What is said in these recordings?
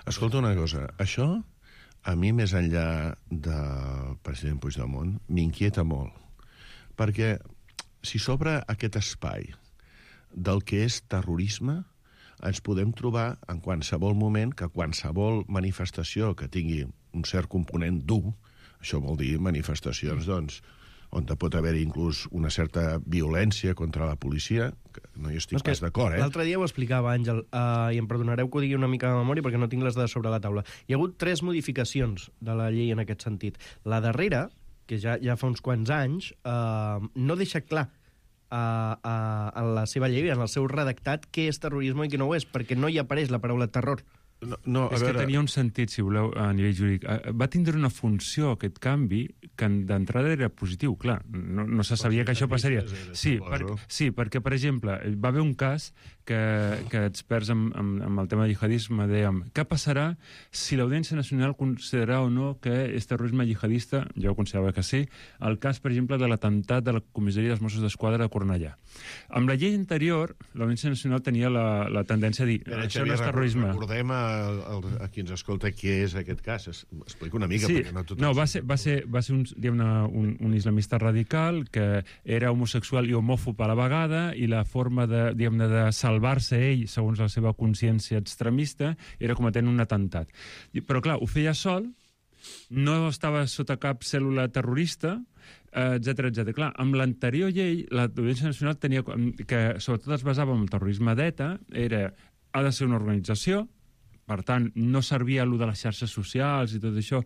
Escolta una cosa, això a mi, més enllà del president Puigdemont, m'inquieta molt, perquè si s'obre aquest espai del que és terrorisme, ens podem trobar en qualsevol moment que qualsevol manifestació que tingui un cert component dur, això vol dir manifestacions, doncs, on pot haver inclús una certa violència contra la policia, que no hi estic pas d'acord, L'altre dia ho explicava, Àngel, i em perdonareu que ho digui una mica de memòria perquè no tinc les dades sobre la taula. Hi ha hagut 3 modificacions de la llei en aquest sentit. La darrera, que ja fa uns quants anys, no deixa clar en la seva llei, en el seu redactat, què és terrorisme i què no ho és, perquè no hi apareix la paraula terror. No, és que tenia un sentit, si voleu, a nivell jurídic. Va tindre una funció, aquest canvi, que d'entrada era positiu, clar. No se sabia que això passaria. Sí, perquè, per exemple, va haver un cas que experts amb el tema de jihadisme dèiem, què passarà si l'Audiència Nacional considerarà o no que és terrorisme jihadista? Jo ho considerava que sí. El cas, per exemple, de l'atemptat de la comissaria dels Mossos d'Esquadra a Cornellà. Amb la llei anterior, l'Audiència Nacional tenia la tendència a dir això no és terrorisme. Recordem a qui ens escolta què és aquest cas. Explica una mica, perquè no tothom... No, va ser un islamista radical que era homosexual i homòfob a la vegada, i la forma de salvar-se ell, segons la seva consciència extremista, era cometent un atemptat. Però, clar, ho feia sol, no estava sota cap cèl·lula terrorista, etc. Clar, amb l'anterior llei, l'Audiència Nacional tenia que sobretot es basava en el terrorisme d'ETA, ha de ser una organització, per tant, no servia allò de les xarxes socials i tot això.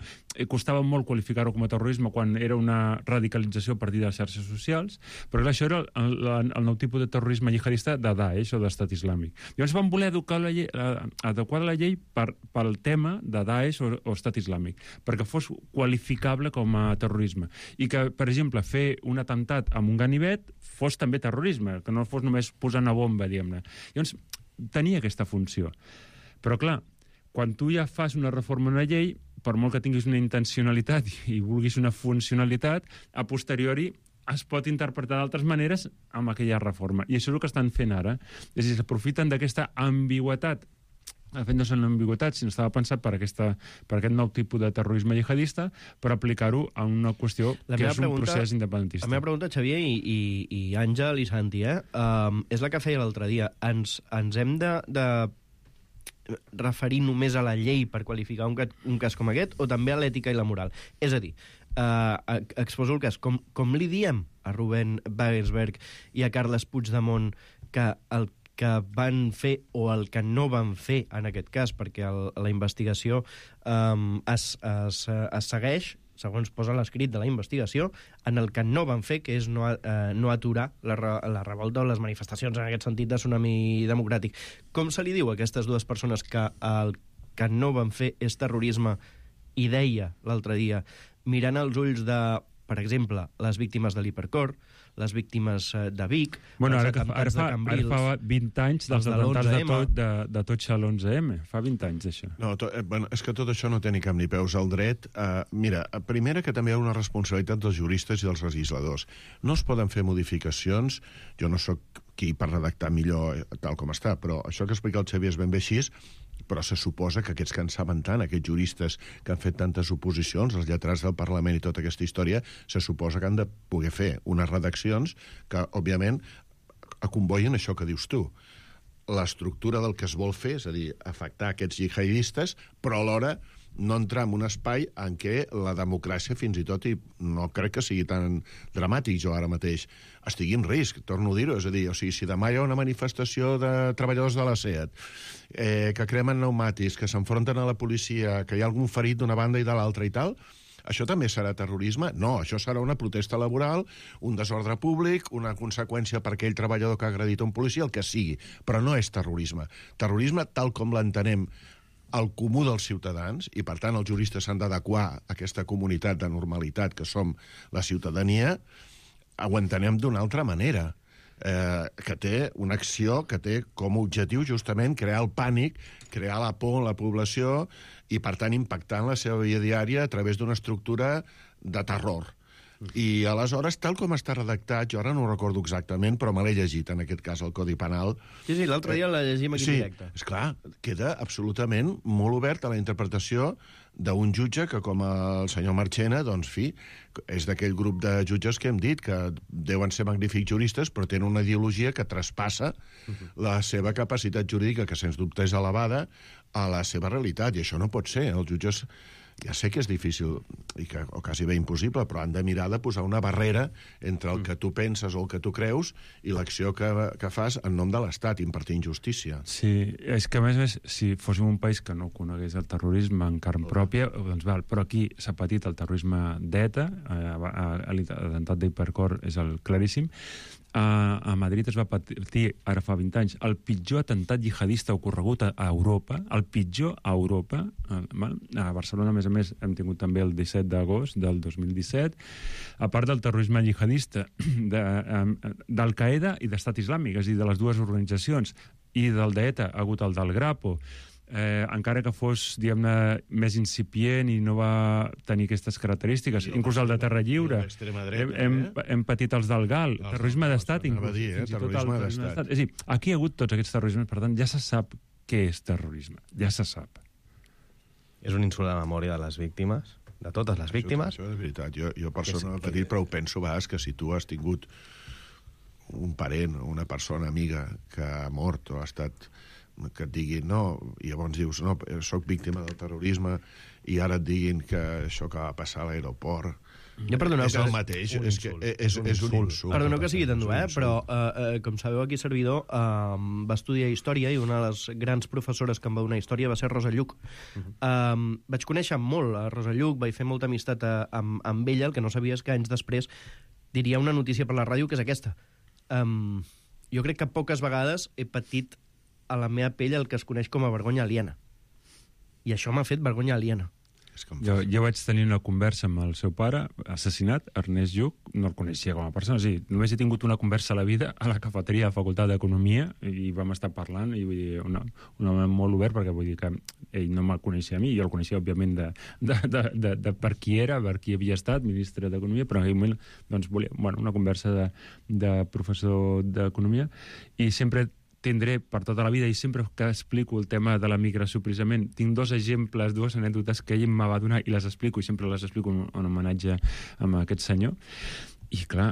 Costava molt qualificar-ho com a terrorisme quan era una radicalització a partir de les xarxes socials, però clar, això era el nou tipus de terrorisme jihadista de Daesh o d'Estat Islàmic. Llavors van voler adequar la llei pel tema de Daesh o Estat Islàmic, perquè fos qualificable com a terrorisme. I que, per exemple, fer un atemptat amb un ganivet fos també terrorisme, que no fos només posar una bomba, diguem-ne. Llavors, tenia aquesta funció. Però, clar, quan tu ja fas una reforma en una llei, per molt que tinguis una intencionalitat i vulguis una funcionalitat, a posteriori es pot interpretar d'altres maneres amb aquella reforma. I això és el que estan fent ara. És a dir, s'aprofiten d'aquesta ambigüitat. De fet, no és una ambigüitat, sinó estava pensat per aquest nou tipus de terrorisme jihadista per aplicar-ho a una qüestió que és un procés independentista. La meva pregunta, Xavier, i Àngel i Santi, és la que feia l'altre dia. Ens hem de referir només a la llei per qualificar un cas com aquest, o també a l'ètica i la moral? És a dir, exposo el cas, com li diem a Rubén Wagensberg i a Carles Puigdemont que el que van fer o el que no van fer en aquest cas, perquè la investigació es segueix segons posa l'escrit de la investigació, en el que no van fer, que és no aturar la revolta o les manifestacions en aquest sentit de tsunami democràtic. Com se li diu a aquestes dues persones que el que no van fer és terrorisme? I deia l'altre dia, mirant als ulls de, per exemple, les víctimes de l'Hipercor, les víctimes de Vic, els atemptats de Cambrils... Ara fa 20 anys dels atemptats de Totxa a l'11M. Fa 20 anys, això. No, és que tot això no té ni cap ni peus al dret. Mira, primera que també hi ha una responsabilitat dels juristes i dels legisladors. No es poden fer modificacions, jo no sóc qui per redactar millor tal com està, però això que explica el Xavier és ben bé així, però se suposa que aquests que en saben tant, aquests juristes que han fet tantes oposicions, els lletrats del Parlament i tota aquesta història, se suposa que han de poder fer unes redaccions que, òbviament, acomboien això que dius tu. L'estructura del que es vol fer, és a dir, afectar aquests jihadistes, però alhora no entrar en un espai en què la democràcia, fins i tot, i no crec que sigui tan dramàtic jo ara mateix, estigui en risc, torno a dir-ho. És a dir, si demà hi ha una manifestació de treballadors de la SEAT que cremen pneumàtics, que s'enfronten a la policia, que hi ha algun ferit d'una banda i de l'altra i tal, això també serà terrorisme? No, això serà una protesta laboral, un desordre públic, una conseqüència per aquell treballador que ha agredit un policia, el que sigui, però no és terrorisme. Terrorisme, tal com l'entenem el comú dels ciutadans, i per tant els juristes s'han d'adequar a aquesta comunitat de normalitat que som la ciutadania, ho entenem d'una altra manera, que té una acció que té com a objectiu justament crear el pànic, crear la por en la població i per tant impactar en la seva vida diària a través d'una estructura de terror. I aleshores, tal com està redactat, jo ara no ho recordo exactament, però me l'he llegit, en aquest cas, el Codi Penal. Sí, l'altre dia la llegim aquí en directe. Sí, esclar, queda absolutament molt obert a la interpretació d'un jutge que, com el senyor Marchena, doncs, fi, és d'aquell grup de jutges que hem dit, que deuen ser magnífics juristes, però tenen una ideologia que traspassa la seva capacitat jurídica, que sens dubte és elevada, a la seva realitat, i això no pot ser. Els jutges, ja sé que és difícil o quasi bé impossible, però han de mirar de posar una barrera entre el que tu penses o el que tu creus i l'acció que fas en nom de l'Estat, impartint justícia. Sí, és que a més, si fóssim un país que no conegués el terrorisme en carn pròpia, doncs val, però aquí s'ha patit el terrorisme d'ETA, l'atemptat d'Hipercor és el claríssim. A Madrid es va patir, ara fa 20 anys, el pitjor atemptat jihadista ocorregut a Europa, el pitjor a Europa. A Barcelona, a més, hem tingut també el 17 d'agost del 2017, a part del terrorisme jihadista d'Al-Qaeda i d'Estat Islàmic, és a dir, de les dues organitzacions, i del d'ETA, ha hagut el del Grapo, encara que fos, diguem-ne, més incipient i no va tenir aquestes característiques, inclús el de Terra Lliure, hem patit els del GAL, terrorisme d'estat, terrorisme d'estat. És a dir, aquí ha hagut tots aquests terrorismes, per tant, ja se sap què és terrorisme, ja se sap. És un insult a la memòria de les víctimes, de totes les víctimes. Això és veritat. Jo persona petit, però ho penso a vegades que si tu has tingut un parent o una persona amiga que ha mort o ha estat, que et diguin, no, i llavors dius, no, soc víctima del terrorisme, i ara et diguin que això que va passar a l'aeroport és el mateix, és un insult. Perdoneu que sigui tan dur, però com sabeu, aquí Servidor va estudiar Història, i una de les grans professores que em va donar Història va ser Rosa Lluch. Vaig conèixer molt a Rosa Lluch, vaig fer molta amistat amb ella, el que no sabia és que anys després diria una notícia per la ràdio que és aquesta. Jo crec que poques vegades he patit a la meva pell el que es coneix com a vergonya aliena. I això m'ha fet vergonya aliena. Jo vaig tenir una conversa amb el seu pare, assassinat, Ernest Lluch, no el coneixia com a persona, sí, només he tingut una conversa a la vida a la cafeteria de la Facultat d'Economia i vam estar parlant, i vull dir, un home molt obert, perquè vull dir que ell no me'l coneixia a mi, jo el coneixia, òbviament, de per qui era, per qui havia estat, ministre d'Economia, però en aquell moment, doncs, volia, una conversa de professor d'Economia, i sempre tindré per tota la vida, i sempre que explico el tema de la migració, precisament, tinc dos exemples, dues anècdotes que ell em va donar i les explico, i sempre les explico en homenatge a aquest senyor. I clar,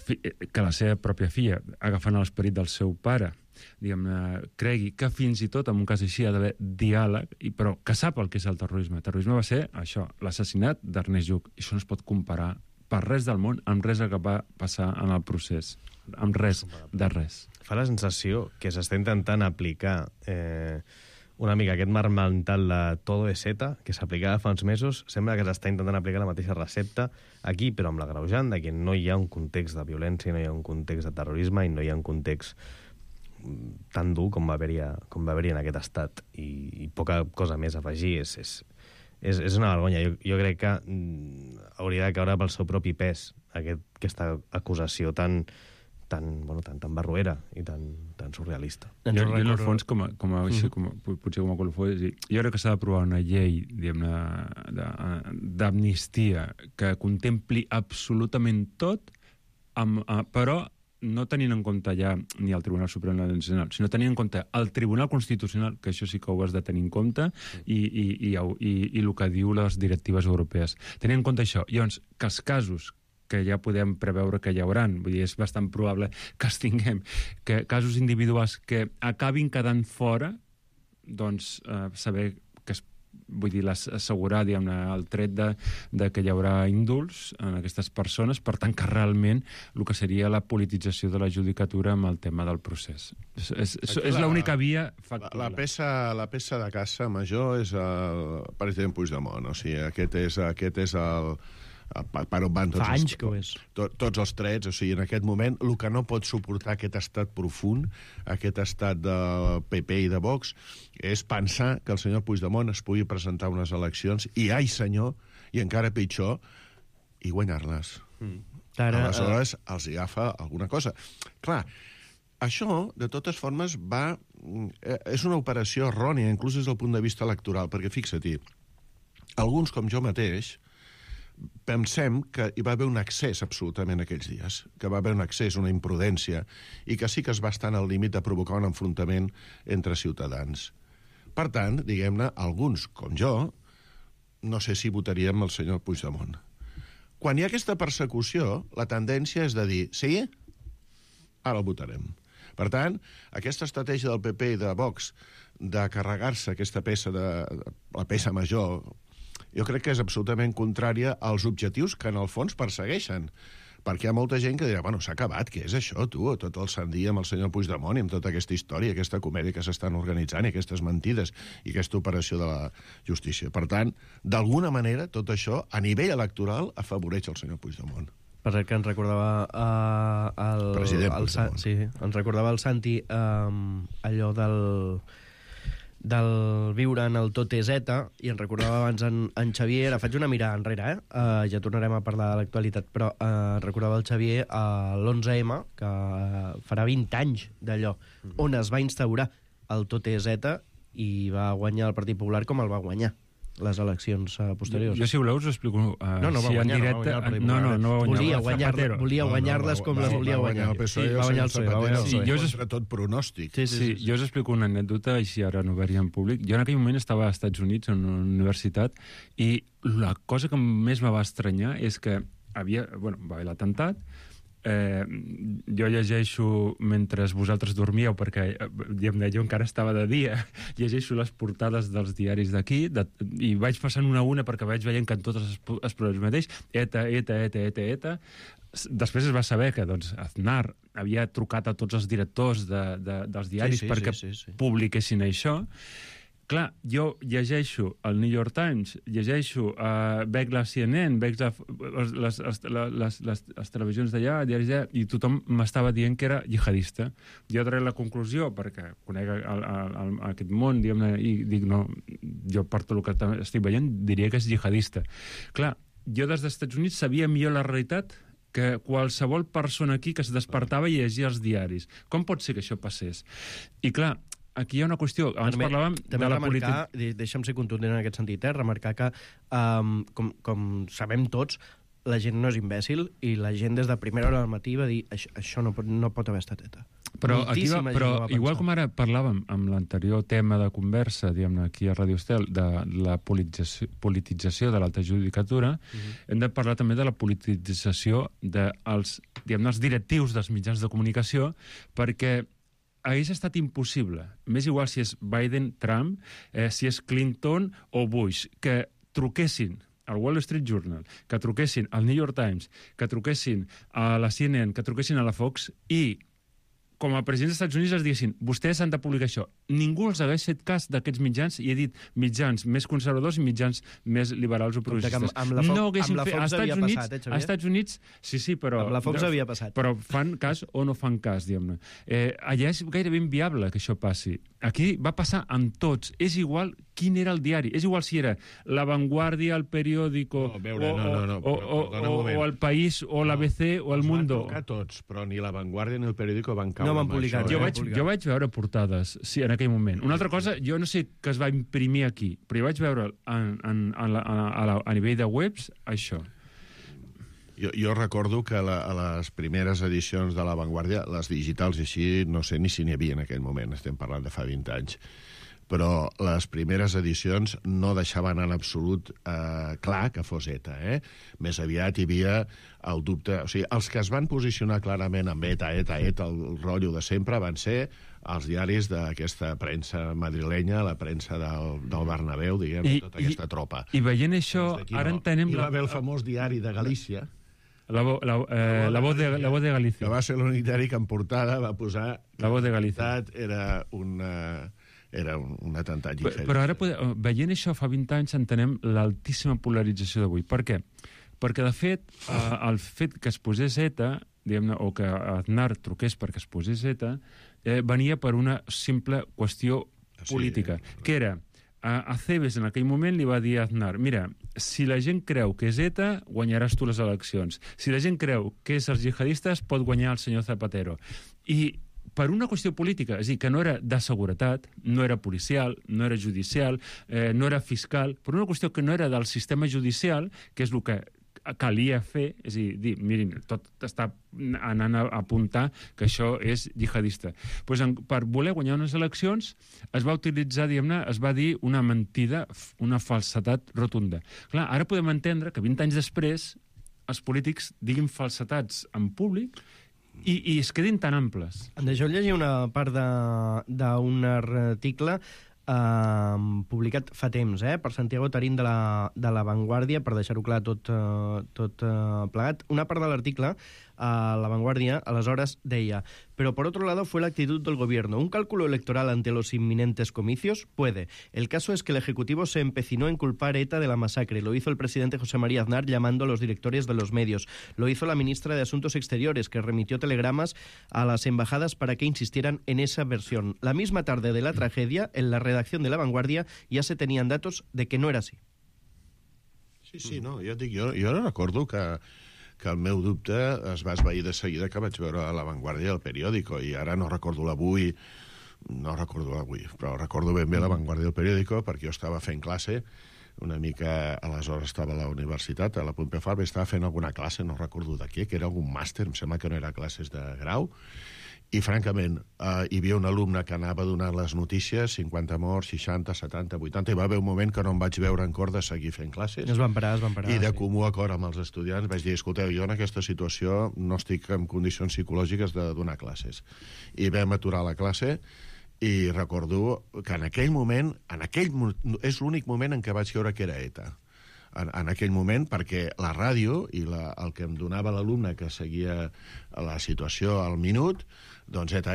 que la seva pròpia filla, agafant l'esperit del seu pare, diguem-ne, cregui que fins i tot en un cas així ha d'haver diàleg, però que sap el que és el terrorisme. El terrorisme va ser això, l'assassinat d'Ernest Lluch. I això no es pot comparar per res del món amb res que va passar en el procés. Amb res, de res. Fa la sensació que s'està intentant aplicar una mica aquest marc mental de todo es ETA, que s'aplicava fa uns mesos, sembla que s'està intentant aplicar la mateixa recepta aquí, però amb l'agreujant de que no hi ha un context de violència, no hi ha un context de terrorisme i no hi ha un context tan dur com va haver-hi en aquest estat. I poca cosa més a afegir. És una vergonya. Jo crec que hauria de caure pel seu propi pes aquesta acusació tan barroera i tan surrealista. Jo en el fons, potser com a colofó, jo crec que s'ha d'aprovar una llei, d'amnistia que contempli absolutament tot, però no tenint en compte ja ni el Tribunal Suprem Nacional, sinó tenint en compte el Tribunal Constitucional, que això sí que ho has de tenir en compte, i el que diu les directives europees. Tenint en compte això, llavors, que els casos que ja podem preveure que hi hauran, vull dir, és bastant probable que els tinguem, que casos individuals que acabin quedant fora, doncs saber que vull dir, assegurar, diguem-ne, el tret de que hi haurà indults en aquestes persones, per tant que realment el que seria la politització de la judicatura amb el tema del procés. És l'única via factible. La peça de caça major és el president Puigdemont, o sigui, aquest és el per on van fa anys que ho és. Tots els trets, o sigui, en aquest moment el que no pot suportar aquest estat profund, aquest estat de PP i de Vox, és pensar que el senyor Puigdemont es pugui presentar unes eleccions i, ai senyor, i encara pitjor, i guanyar-les. Aleshores els agafa alguna cosa. Clar, això, de totes formes, és una operació errònia, inclús des del punt de vista electoral, perquè fixa-t'hi, alguns com jo mateix pensem que hi va haver un excés absolutament aquells dies, que va haver un excés, una imprudència, i que sí que es va estar al límit de provocar un enfrontament entre ciutadans. Per tant, diguem-ne, alguns, com jo, no sé si votaríem el senyor Puigdemont. Quan hi ha aquesta persecució, la tendència és de dir, sí, ara el votarem. Per tant, aquesta estratègia del PP i de Vox de carregar-se aquesta peça, la peça major, jo crec que és absolutament contrària als objectius que en el fons persegueixen. Perquè hi ha molta gent que dirà, bueno, s'ha acabat, què és això, tu? Tot el sant dia amb el senyor Puigdemont i amb tota aquesta història, aquesta comèdia que s'estan organitzant i aquestes mentides i aquesta operació de la justícia. Per tant, d'alguna manera, tot això, a nivell electoral, afavoreix el senyor Puigdemont. Perquè ens recordava el president Puigdemont. Sí, ens recordava el Santi allò del viure en el tot és ETA, i ens recordava abans en Xavier, faig una mirada enrere, ja tornarem a parlar de l'actualitat, però recordava el Xavier l'11M, que farà 20 anys d'allò, on es va instaurar el tot és ETA i va guanyar el Partit Popular com el va guanyar les eleccions posteriors. Jo, si voleu, us ho explico. No va guanyar, no va guanyar. Volia guanyar-les com les volia guanyar. Va guanyar el PSOE, va guanyar el PSOE. Jo contra tot pronòstic. Sí, jo us explico una anècdota, així ara no veria en públic. Jo en aquell moment estava als Estats Units, en una universitat, i la cosa que més me va estranyar és que va haver l'atemptat. Jo llegeixo mentre vosaltres dormíeu, perquè jo encara estava de dia, llegeixo les portades dels diaris d'aquí i vaig passant una a una perquè vaig veient que en totes es posa el mateix, ETA. Després es va saber que Aznar havia trucat a tots els directors dels diaris perquè publiquessin això. Clar, jo llegeixo el New York Times, veig la CNN, veig les televisions d'allà, i tothom m'estava dient que era jihadista. Jo trec la conclusió, perquè conec aquest món, diguem-ne, i dic, no, jo per tot el que estic veient diria que és jihadista. Clar, jo des dels Estats Units sabia millor la realitat que qualsevol persona aquí que es despertava i llegia els diaris. Com pot ser que això passés? I clar, aquí hi ha una qüestió. Abans parlàvem de la política. Deixa'm ser contundent en aquest sentit, remarcar que, com sabem tots, la gent no és imbècil i la gent des de primera hora del matí va dir això no pot haver estat ETA. Però igual com ara parlàvem amb l'anterior tema de conversa, diguem-ne, aquí a Radio Estel, de la politització de l'alta judicatura, hem de parlar també de la politització dels directius dels mitjans de comunicació, perquè hagués estat impossible, més igual si és Biden, Trump, si és Clinton o Bush, que truquessin al Wall Street Journal, que truquessin al New York Times, que truquessin a la CNN, que truquessin a la Fox i com a presidents dels Estats Units es diguessin vostès han de publicar això. Ningú els hagués fet cas d'aquests mitjans, i he dit mitjans més conservadors i mitjans més liberals o progressistes. No haguessin fet... Als Estats Units, sí, però... Amb la Fox havia passat. Però fan cas o no fan cas, diguem-ne. Allà és gairebé inviable que això passi. Aquí va passar amb tots. És igual quin era el diari. És igual si era La Vanguardia, El Periódico, o El País, o l'ABC, o El Mundo. Els van tocar tots, però ni La Vanguardia ni El Periódico van caure. No van publicar. Jo vaig veure portades, sí, en aquell moment. Una altra cosa, jo no sé que es va imprimir aquí, però jo vaig veure a nivell de webs això. Jo recordo que a les primeres edicions de La Vanguardia, les digitals i així, no sé ni si n'hi havia en aquell moment, estem parlant de fa 20 anys, però les primeres edicions no deixaven en absolut clar que fos ETA. Més aviat hi havia el dubte... O sigui, els que es van posicionar clarament amb ETA, el rotllo de sempre, van ser els diaris d'aquesta premsa madrilenya, la premsa del Bernabéu, diguem, tota aquesta tropa. I veient això, ara entenem... Hi va haver el famós diari de Galícia, La voz de Galícia. Que va ser l'únic diari que en portada va posar... La voz de Galícia. Era un atemptat gihadista. Però ara, veient això fa 20 anys, entenem l'altíssima polarització d'avui. Per què? Perquè, de fet, el fet que es posés ETA, diguem-ne, o que Aznar truqués perquè es posés ETA, venia per una simple qüestió política, que era... A Cebes en aquell moment li va dir a Aznar, mira, si la gent creu que és ETA, guanyaràs tu les eleccions. Si la gent creu que és els jihadistes, pot guanyar el senyor Zapatero. I per una qüestió política, és a dir, que no era de seguretat, no era policial, no era judicial, no era fiscal, per una qüestió que no era del sistema judicial, que és el que calia fer, és a dir, mirin, tot està anant a apuntar que això és jihadista. Pues per voler guanyar unes eleccions es va utilitzar, diguem-ne, es va dir una mentida, una falsedat rotunda. Clar, ara podem entendre que 20 anys després els polítics diguin falsetats en públic i es quedin tan amples. Em deixeu llegir una part d'un article publicat fa temps, per Santiago Tarín de la Vanguardia, per deixar-ho clar tot plegat. Una part de l'article, La Vanguardia, aleshores deia: pero por otro lado fue la actitud del gobierno. Un cálculo electoral ante los inminentes comicios puede. El caso es que el Ejecutivo se empecinó en culpar a ETA de la masacre. Lo hizo el presidente José María Aznar llamando a los directores de los medios. Lo hizo la ministra de Asuntos Exteriores, que remitió telegramas a las embajadas para que insistieran en esa versión. La misma tarde de la tragedia, en la redacción de La Vanguardia ya se tenían datos de que no era así. Sí, no, jo et dic, jo recordo que el meu dubte es va esvair de seguida que vaig veure a La Vanguardia i El Periódico, i ara no recordo l'avui, però recordo ben bé La Vanguardia i El Periódico, perquè jo estava fent classe, una mica, aleshores estava a la universitat, a la Pompeu Fabra, estava fent alguna classe, no recordo de què, que era algun màster, em sembla que no era classes de grau, i francament hi havia un alumne que anava donant les notícies, 50 morts, 60, 70, 80, i va haver un moment que no em vaig veure en cor de seguir fent classes. Es van parar. I de comú acord amb els estudiants vaig dir, escolteu, jo en aquesta situació no estic en condicions psicològiques de donar classes. I vam aturar la classe i recordo que en aquell moment, és l'únic moment en què vaig veure que era ETA. En aquell moment, perquè la ràdio i el que em donava l'alumne que seguia la situació al minut, doncs ETA.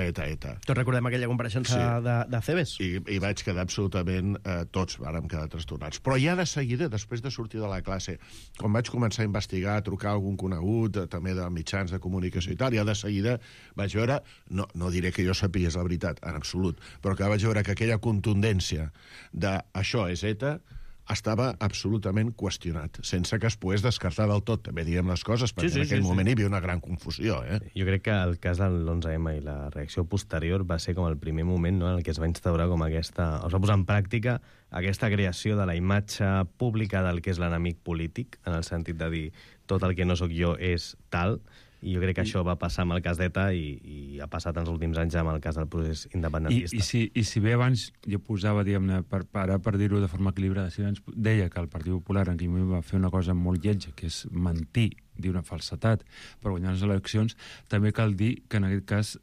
Tots recordem aquella compareixença de Cebes. I vaig quedar absolutament... tots vàrem quedar trastornats. Però ja de seguida, després de sortir de la classe, quan vaig començar a investigar, a trucar a algun conegut, també de mitjans de comunicació i tal, ja de seguida vaig veure, no diré que jo sapigués la veritat, en absolut, però que vaig veure que aquella contundència de això és ETA estava absolutament qüestionat, sense que es pogués descartar del tot, també diem les coses, perquè en aquell moment hi havia una gran confusió. Jo crec que el cas de l'11M i la reacció posterior va ser com el primer moment, no?, en el que es va instaurar com aquesta... es va posar en pràctica aquesta creació de la imatge pública del que és l'enemic polític, en el sentit de dir tot el que no sóc jo és tal, i jo crec que això va passar amb el cas d'ETA i ha passat en els últims anys amb el cas del procés independentista. I si bé abans jo posava, diguem-ne, per dir-ho de forma equilibrada, si abans deia que el Partit Popular en aquell moment va fer una cosa molt lletja, que és mentir, dir una falsetat per guanyar les eleccions, també cal dir que en aquest cas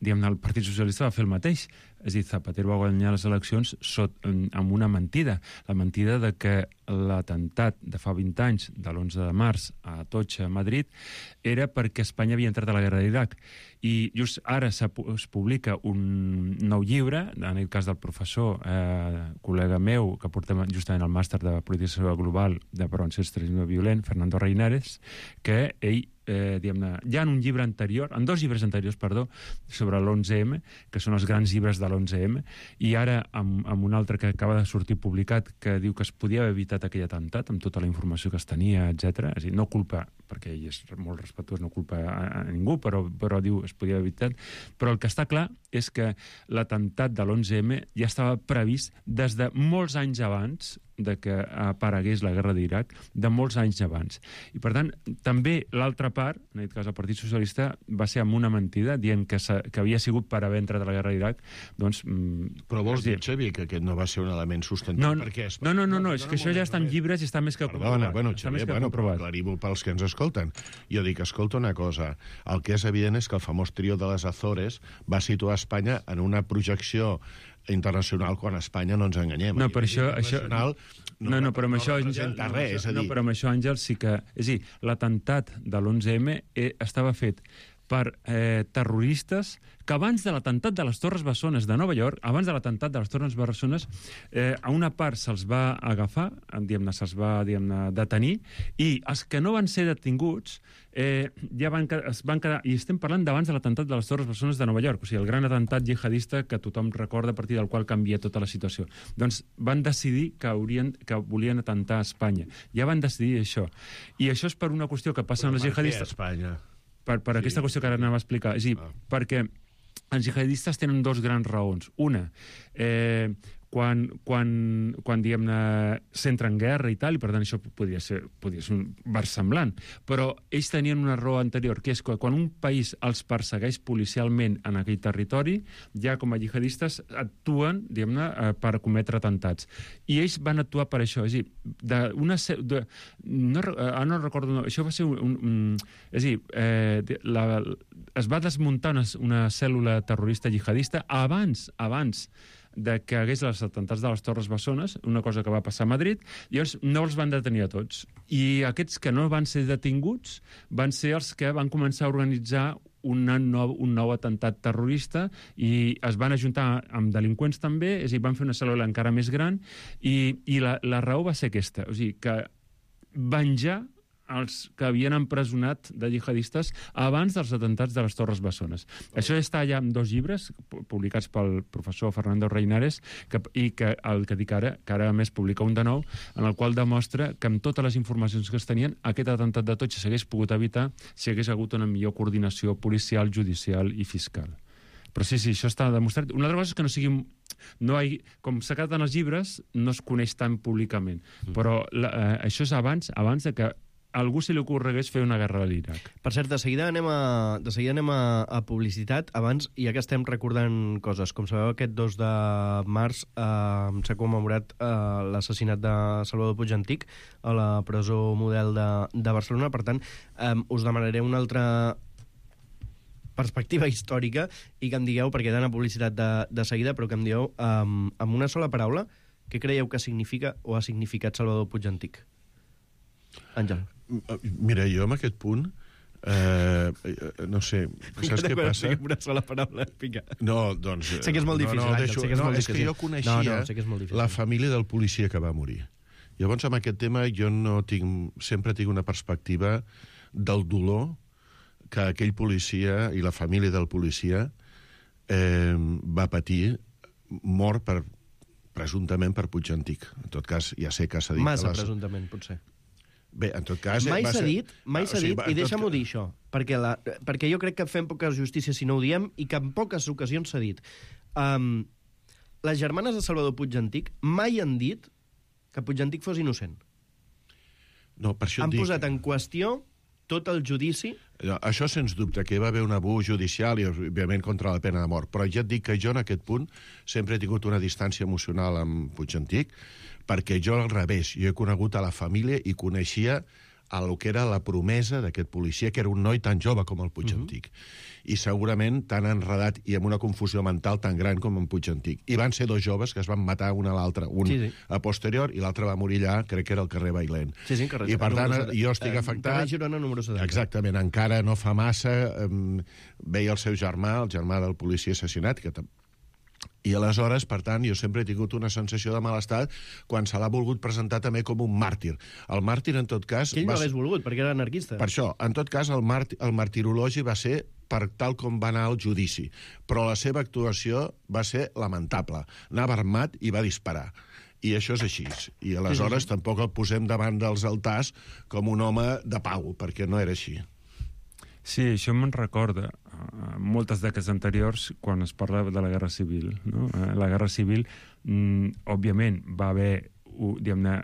diguem-ne, el Partit Socialista va fer el mateix. És a dir, Zapatero va guanyar les eleccions amb una mentida. La mentida de que l'atemptat de fa 20 anys, de l'11 de març a Atocha, a Madrid, era perquè Espanya havia entrat a la guerra d'Iraq. I just ara es publica un nou llibre, en aquest cas del professor, col·lega meu, que portem justament el màster de Política Global de Prevenció d'Extremisme Violent, Fernando Reinares, que ell diguem-ne, ja en un llibre anterior, en 2 llibres anteriors, perdó, sobre l'11M, que són els grans llibres de l'11M, i ara amb un altre que acaba de sortir publicat que diu que es podia haver evitat aquell atemptat amb tota la informació que es tenia, etc. És a dir, no culpa, perquè ell és molt respectuós, no culpa a ningú, però diu es podia haver evitat. Però el que està clar és que l'atemptat de l'11M ja estava previst des de molts anys abans de que aparegués la guerra d'Iraq, de molts anys abans. I, per tant, també l'altra part, en aquest cas el Partit Socialista, va ser amb una mentida, dient que havia sigut per haver entrat a la guerra d'Iraq, doncs... Però vols dir, Xavi, que aquest no va ser un element substantiu? No, és que això ja està en llibres i està més que comprovat. Bueno, Xavi, però aclarim-ho pels que ens escolten. Jo dic, escolta una cosa, el que és evident és que el famós trio de les Azores va situar Espanya en una projecció internacional quan a Espanya no ens enganyem. No, per això... No, però amb això... No, però amb això, Àngel, sí que... És a dir, l'atemptat de l'11M estava fet per terroristes que abans de l'atemptat de les Torres Bessones de Nova York, abans de l'atemptat de les Torres Bessones, a una part se'ls va agafar, se'ls va detenir, i els que no van ser detinguts ja es van quedar... I estem parlant d'abans de l'atemptat de les Torres Bessones de Nova York, o sigui, el gran atemptat jihadista que tothom recorda, a partir del qual canvia tota la situació. Doncs van decidir que volien atentar a Espanya. Ja van decidir això. I això és per una qüestió que passa amb els jihadistes... Espanya? Per aquesta qüestió que ara anava a explicar. És a dir, perquè els jihadistes tenen 2 grans raons. Una, quan diguem-ne, s'entra en guerra i tal, i per tant això podria ser un versemblant. Però ells tenien una raó anterior, que és que quan un país els persegueix policialment en aquell territori, ja com a jihadistes actuen, diguem-ne, per cometre atemptats. I ells van actuar per això. És a dir, no recordo... Això va ser és a dir, es va desmuntar una cèl·lula terrorista jihadista abans de que hagués els atemptats de les Torres Bessones, una cosa que va passar a Madrid, i llavors no els van detenir a tots. I aquests que no van ser detinguts van ser els que van començar a organitzar un nou atemptat terrorista i es van ajuntar amb delinqüents també, és a dir, van fer una cèl·lula encara més gran i la raó va ser aquesta, o sigui, que venjar els que havien empresonat de jihadistes abans dels atemptats de les Torres Bessones. Això està allà en 2 llibres publicats pel professor Fernando Reinares i que el que dic ara, que ara a més publica un de nou, en el qual demostra que amb totes les informacions que es tenien, aquest atemptat de Atocha s'hagués pogut evitar si hagués hagut una millor coordinació policial, judicial i fiscal. Però sí, això està demostrat. Una altra cosa és que no sigui... com s'ha quedat en els llibres, no es coneix tant públicament. Però això és abans de que algú se li ocorregués fer una guerra a l'Iraq. Per cert, de seguida anem a publicitat. Abans, ja que estem recordant coses, com sabeu, aquest 2 de març s'ha commemorat l'assassinat de Salvador Puig Antich a la presó Model de Barcelona. Per tant, us demanaré una altra perspectiva històrica i que em digueu, perquè he d'anar a publicitat de seguida, però que em digueu amb una sola paraula què creieu que significa o ha significat Salvador Puig Antich. Àngel. Mira, jo amb aquest punt no sé, saps què passa? Una sola paraula, pica. No, doncs... Sé que és molt difícil, Àngel, sé que és molt difícil. És que jo coneixia sé que és molt difícil. la família del policia que va morir. Llavors, amb aquest tema, jo sempre tinc una perspectiva del dolor que aquell policia i la família del policia va patir mort presumptament per Puig Antich. En tot cas, ja sé que s'ha dit... Massa presumptament, potser. Bé, en tot cas... Mai s'ha dit, i deixa'm-ho dir, això, perquè jo crec que fem poca justícia si no ho diem, i que en poques ocasions s'ha dit. Les germanes de Salvador Puig Antich mai han dit que Puig Antich fos innocent. No, per això han posat en qüestió tot el judici... Això, sens dubte, que hi va haver un abús judicial i, òbviament, contra la pena de mort. Però ja et dic que jo, en aquest punt, sempre he tingut una distància emocional amb Puig Antich, perquè jo, al revés, jo he conegut a la família i coneixia el que era la promesa d'aquest policia, que era un noi tan jove com el Puig Antich. I segurament tan enredat i amb una confusió mental tan gran com en Puig Antich. I van ser 2 joves que es van matar un a l'altre, a posterior, i l'altre va morir allà, crec que era el carrer Bailén. Sí, carrer. I, per tant, jo estic afectat... Carrer Girona, número 70. Exactament, encara no fa massa, veia el seu germà, el germà del policia assassinat, que i aleshores, per tant, jo sempre he tingut una sensació de malestar quan se l'ha volgut presentar també com un màrtir. El màrtir, en tot cas... Que ell no l'hagués volgut, perquè era anarquista. Per això, en tot cas, el martirologi va ser per tal com va anar el judici. Però la seva actuació va ser lamentable. Anava armat i va disparar. I això és així. I aleshores tampoc el posem davant dels altars com un home de pau, perquè no era així. Sí, això me'n recorda moltes dècades anteriors quan es parlava de la Guerra Civil. No? La Guerra Civil, òbviament, va haver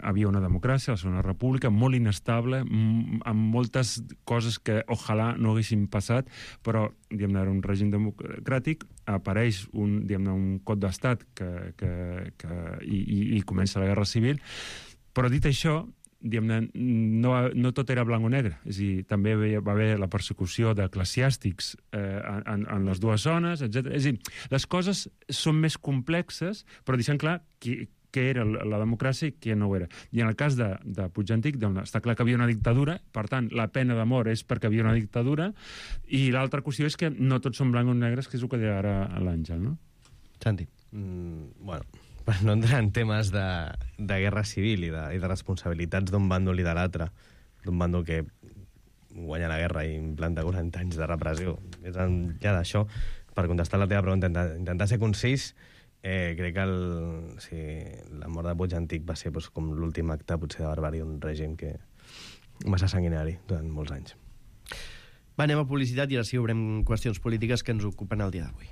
havia una democràcia, la Segona República, molt inestable, amb moltes coses que ojalà no haguessin passat, però era un règim democràtic, apareix un cop d'estat i comença la Guerra Civil, però dit això, no tot era blanc o negre, és a dir, també va haver la persecució d'eclesiàstics en les 2 zones, etc. És a dir, les coses són més complexes, però deixant clar què era la democràcia i què no ho era. I en el cas de Puig Antich, està clar que havia una dictadura, per tant, la pena de mort és perquè havia una dictadura, i l'altra qüestió és que no tots són blancs o negres, que és el que deia ara l'Àngel, no? Santi. Bueno, per no entrar en temes de guerra civil i de responsabilitats d'un bàndol i de l'altre, d'un bàndol que guanya la guerra i implanta 40 anys de repressió, més enllà d'això, per contestar la teva pregunta, intentar ser concís, crec que la mort de Puig Antich va ser com l'últim acte potser de barbària d'un règim que va ser sanguinari durant molts anys. Va, anem a publicitat i ara sí obrem qüestions polítiques que ens ocupen el dia d'avui.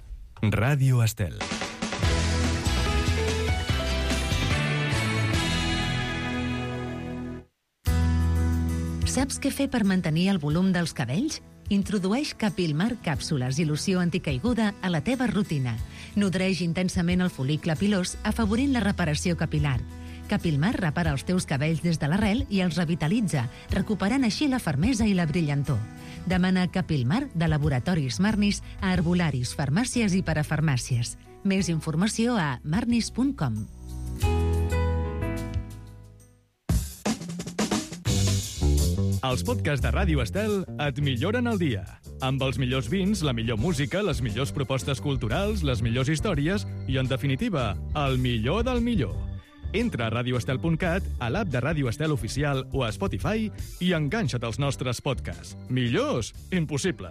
Ràdio Estel. Saps què fer per mantenir el volum dels cabells? Introdueix Capilmar càpsules i loció anticaiguda a la teva rutina. Nodreix intensament el fol·licle pilós, afavorint la reparació capilar. Capilmar repara els teus cabells des de l'arrel i els revitalitza, recuperant així la fermesa i la brillantor. Demana Capilmar de Laboratoris Marnis a herbolaris, farmàcies i parafarmàcies. Més informació a marnis.com. Els podcasts de Ràdio Estel et milloren el dia. Amb els millors vins, la millor música, les millors propostes culturals, les millors històries i, en definitiva, el millor del millor. Entra a radioestel.cat, a l'app de Ràdio Estel Oficial o a Spotify i enganxa't als nostres podcasts. Millors? Impossible.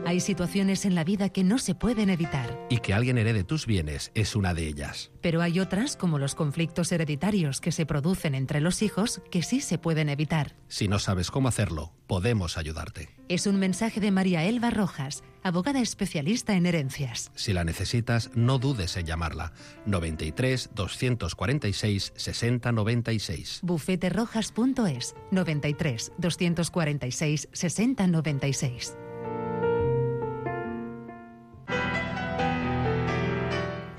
Hay situaciones en la vida que no se pueden evitar. Y que alguien herede tus bienes es una de ellas. Pero hay otras, como los conflictos hereditarios que se producen entre los hijos, que sí se pueden evitar. Si no sabes cómo hacerlo, podemos ayudarte. Es un mensaje de María Elba Rojas, abogada especialista en herencias. Si la necesitas, no dudes en llamarla. 93 246 60 96. Bufeterrojas.es 93 246 60 96.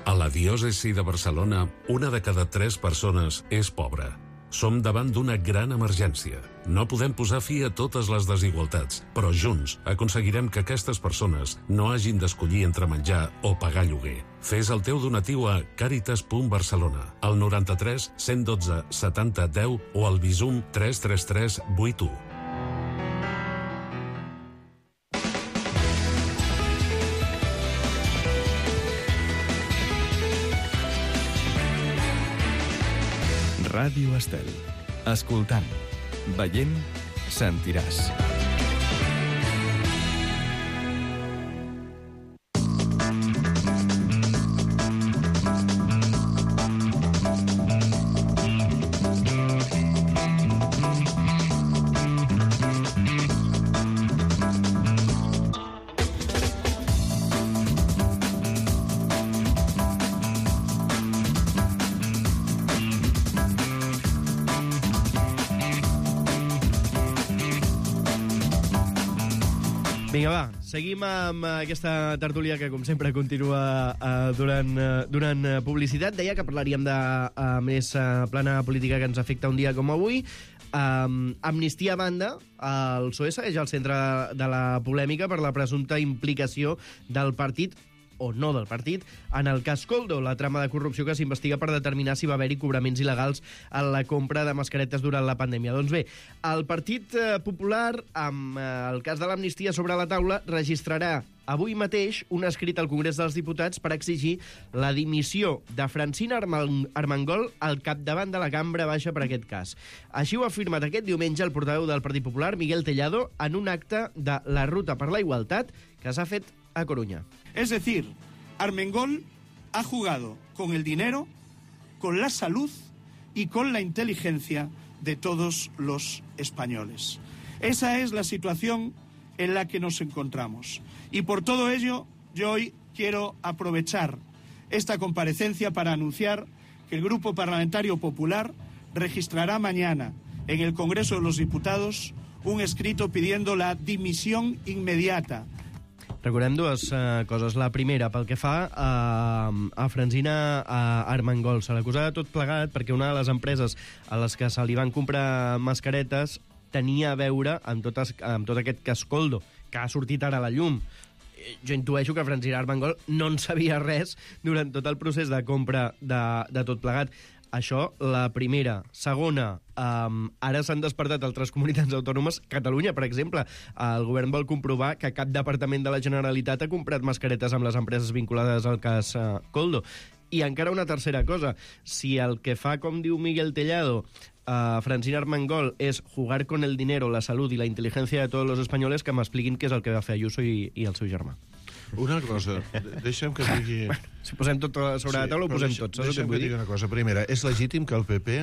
A la diòcesi de Barcelona, una de cada 3 persones és pobra. Som davant d'una gran emergència. No podem posar fi a totes les desigualtats, però junts aconseguirem que aquestes persones no hagin d'escollir entre menjar o pagar lloguer. Fes el teu donatiu a caritas.barcelona, al 93 112 70 10 o al Bizum 333 81. Ràdio Estel. Escoltant, veient, sentiràs. Vinga, va, seguim amb aquesta tertúlia que, com sempre, continua donant publicitat. Deia que parlaríem de més plana política que ens afecta un dia com avui. Amnistia a banda, el PSOE segueix al centre de la polèmica per la presumpta implicació del partit o no del partit, en el cas Koldo, la trama de corrupció que s'investiga per determinar si va haver-hi cobraments il·legals en la compra de mascaretes durant la pandèmia. Doncs bé, el Partit Popular, amb el cas de l'amnistia sobre la taula, registrarà avui mateix un escrit al Congrés dels Diputats per exigir la dimissió de Francina Armengol al capdavant de la cambra baixa per aquest cas. Així ho ha afirmat aquest diumenge el portaveu del Partit Popular, Miguel Tellado, en un acte de la Ruta per la Igualtat que s'ha fet a Coruña. Es decir, Armengol ha jugado con el dinero, con la salud y con la inteligencia de todos los españoles. Esa es la situación en la que nos encontramos. Y por todo ello, yo hoy quiero aprovechar esta comparecencia para anunciar que el Grupo Parlamentario Popular registrará mañana en el Congreso de los Diputados un escrito pidiendo la dimisión inmediata. Recordem dues coses. La primera, pel que fa a Francina Armengol. Se l'acusa de tot plegat perquè una de les empreses a les que se li van comprar mascaretes tenia a veure amb tot aquest cas Koldo, que ha sortit ara a la llum. Jo intueixo que Francina Armengol no en sabia res durant tot el procés de compra de tot plegat. Això, la primera. Segona, ara s'han despertat altres comunitats autònomes. Catalunya, per exemple, el govern vol comprovar que cap departament de la Generalitat ha comprat mascaretes amb les empreses vinculades al cas Koldo. I encara una tercera cosa. Si el que fa, com diu Miguel Tellado, Francina Armengol, és jugar con el dinero, la salud y la inteligencia de todos los españoles, que m'expliquin què és el que va fer Ayuso i el seu germà. Una cosa, deixa'm que digui... Si posem tot sobre la taula, ho posem tot. Deixa'm que digui una cosa. Primera, és legítim que el PP,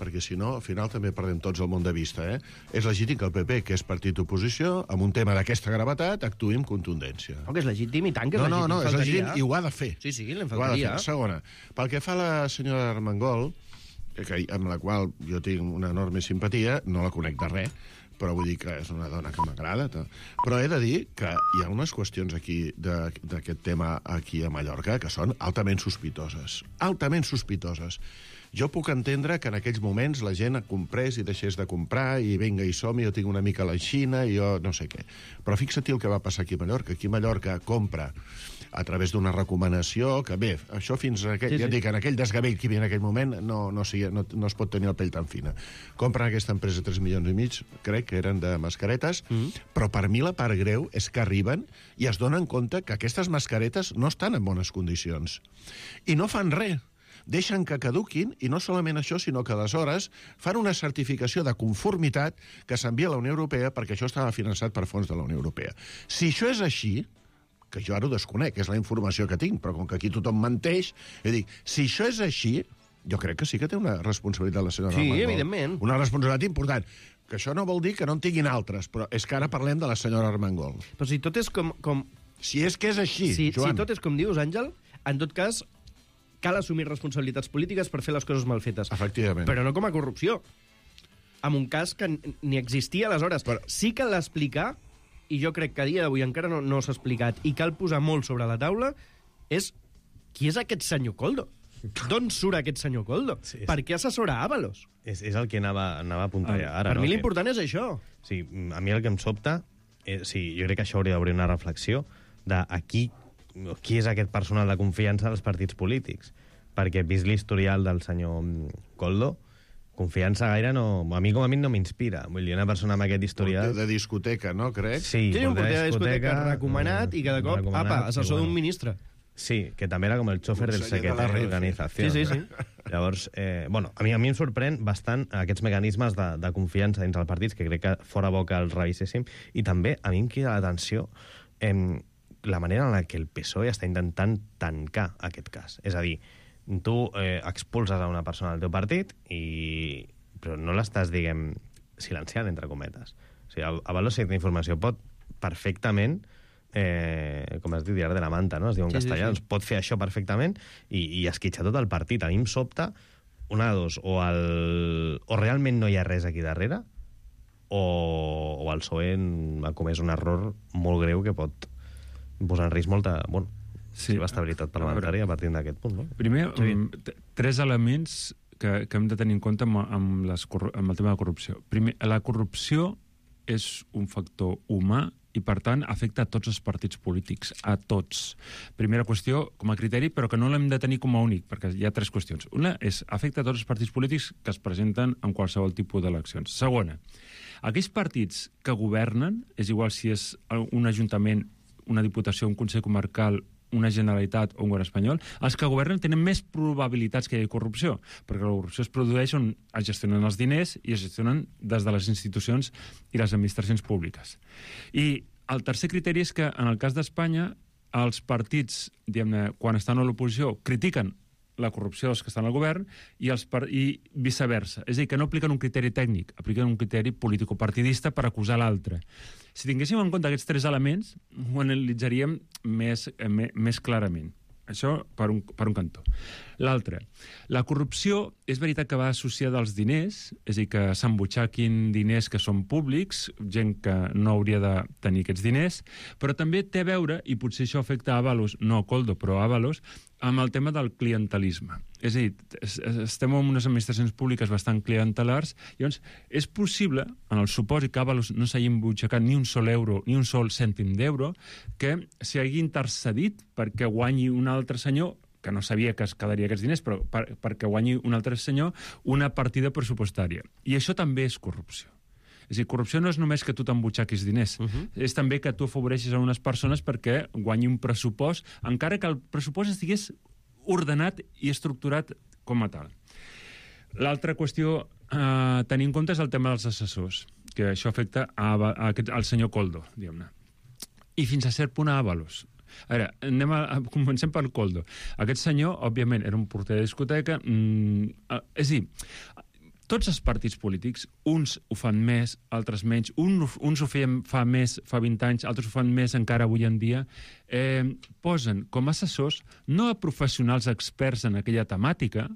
perquè si no, al final també perdem tots el món de vista, és legítim que el PP, que és partit d'oposició, amb un tema d'aquesta gravetat, actuï amb contundència. No, que és legítim, i tant que és legítim. No, és legítim i ho ha de fer. Sí, li'n faltaria. Segona, pel que fa a la senyora Armengol, amb la qual jo tinc una enorme simpatia, no la conec de res, però vull dir que és una dona que m'agrada. Però he de dir que hi ha unes qüestions aquí d'aquest tema aquí a Mallorca que són altament sospitoses. Altament sospitoses. Jo puc entendre que en aquells moments la gent comprés i deixés de comprar i vinga, i som, jo tinc una mica la Xina i jo no sé què. Però fixa't el que va passar aquí a Mallorca. Aquí a Mallorca compra a través d'una recomanació, que bé, això fins a aquell, ja dic, en aquell desgavell que hi havia en aquell moment no es pot tenir la pell tan fina. Compren aquesta empresa 3,5 milions, crec que eren de mascaretes, però per mi la part greu és que arriben i es donen compte que aquestes mascaretes no estan en bones condicions. I no fan res. Deixen que caduquin, i no solament això, sinó que aleshores fan una certificació de conformitat que s'envia a la Unió Europea perquè això estava finançat per fons de la Unió Europea. Si això és així, que jo ara ho desconec, és la informació que tinc, però com que aquí tothom menteix, dic, si això és així, jo crec que sí que té una responsabilitat la senyora Armengol. Sí, evidentment. Una responsabilitat important. Que això no vol dir que no en tinguin altres, però és que ara parlem de la senyora Armengol. Però si tot és com... Si és que és així, Joan. Si tot és com dius, Àngel, en tot cas, cal assumir responsabilitats polítiques per fer les coses mal fetes. Efectivament. Però no com a corrupció. En un cas que ni existia aleshores. Però sí que l'explicar, i jo crec que a dia d'avui encara no s'ha explicat, i cal posar molt sobre la taula, és qui és aquest senyor Koldo? D'on surt aquest senyor Koldo? Sí, per què assessora Ábalos? És el que anava a apuntar ara. Per mi l'important és això. Sí, a mi el que em sobta, jo crec que això hauria d'obrir una reflexió de qui és aquest personal de confiança dels partits polítics. Perquè, vist l'historial del senyor Koldo, confiança gaire no... A mi, com a mi, no m'inspira. Vull dir, una persona amb aquest historial... De discoteca, no, crec? Sí, un porter de discoteca recomanat i que de cop, assessor d'un ministre. Sí, que també era com el xòfer del secretari de l'organització. Sí. Llavors, a mi em sorprèn bastant aquests mecanismes de confiança dins dels partits, que crec que fora bo que els reviséssim, i també a mi em crida l'atenció la manera en la que el PSOE està intentant tancar aquest cas. És a dir, tu expulses a una persona del teu partit però no l'estàs, diguem, silenciant, entre cometes. O sigui, Ábalos, si té informació, pot perfectament, com es diu, diari de la manta, no? Es diu en castellà, doncs pot fer això perfectament i esquitxar tot el partit. A mi em sobta una de dos, o realment no hi ha res aquí darrere, o el PSOE ha comès un error molt greu que pot posar en risc molta... l'estabilitat parlamentària a partir d'aquest punt, no? Primer, tres elements que hem de tenir en compte amb el tema de corrupció. Primer, la corrupció és un factor humà i, per tant, afecta a tots els partits polítics, a tots. Primera qüestió, com a criteri, però que no l'hem de tenir com a únic, perquè hi ha tres qüestions. Una és, afecta a tots els partits polítics que es presenten en qualsevol tipus d'eleccions. Segona, aquells partits que governen, és igual si és un ajuntament, una diputació, un consell comarcal, una Generalitat o un govern espanyol, els que governen tenen més probabilitats que hi hagi corrupció, perquè la corrupció es produeix on es gestionen els diners i es gestionen des de les institucions i les administracions públiques. I el tercer criteri és que, en el cas d'Espanya, els partits, diguem-ne, quan estan a l'oposició, critiquen la corrupció dels que estan al govern i viceversa. És a dir, que no apliquen un criteri tècnic, apliquen un criteri político-partidista per acusar l'altre. Si tinguéssim en compte aquests tres elements, ho analitzaríem més clarament. Això per un cantó. L'altre, la corrupció és veritat que va associada als diners, és a dir, que s'embutxaquin diners que són públics, gent que no hauria de tenir aquests diners, però també té a veure, i potser això afecta a Ábalos, no a Koldo, però a Ábalos, amb el tema del clientelisme. És a dir, estem en unes administracions públiques bastant clientelars, llavors és possible, en el supòsit que Ábalos no s'hagi embutxacat ni un sol euro, ni un sol cèntim d'euro, que s'hi hagi intercedit perquè guanyi un altre senyor, que no sabia que es quedaria aquests diners, però perquè guanyi un altre senyor, una partida pressupostària. I això també és corrupció. És a dir, corrupció no és només que tu t'embutxaquis diners, és també que tu afavoreixis a unes persones perquè guanyi un pressupost, encara que el pressupost estigués ordenat i estructurat com a tal. L'altra qüestió a tenir en compte és el tema dels assessors, que això afecta al senyor Koldo, diguem-ne. I fins a cert punt a Ábalos. A veure, comencem per Koldo. Aquest senyor, òbviament, era un porter de discoteca. És a dir, tots els partits polítics, uns ho fan més, altres menys, uns ho feien fa 20 anys, altres ho fan més encara avui en dia, posen com a assessors no a professionals experts en aquella temàtica,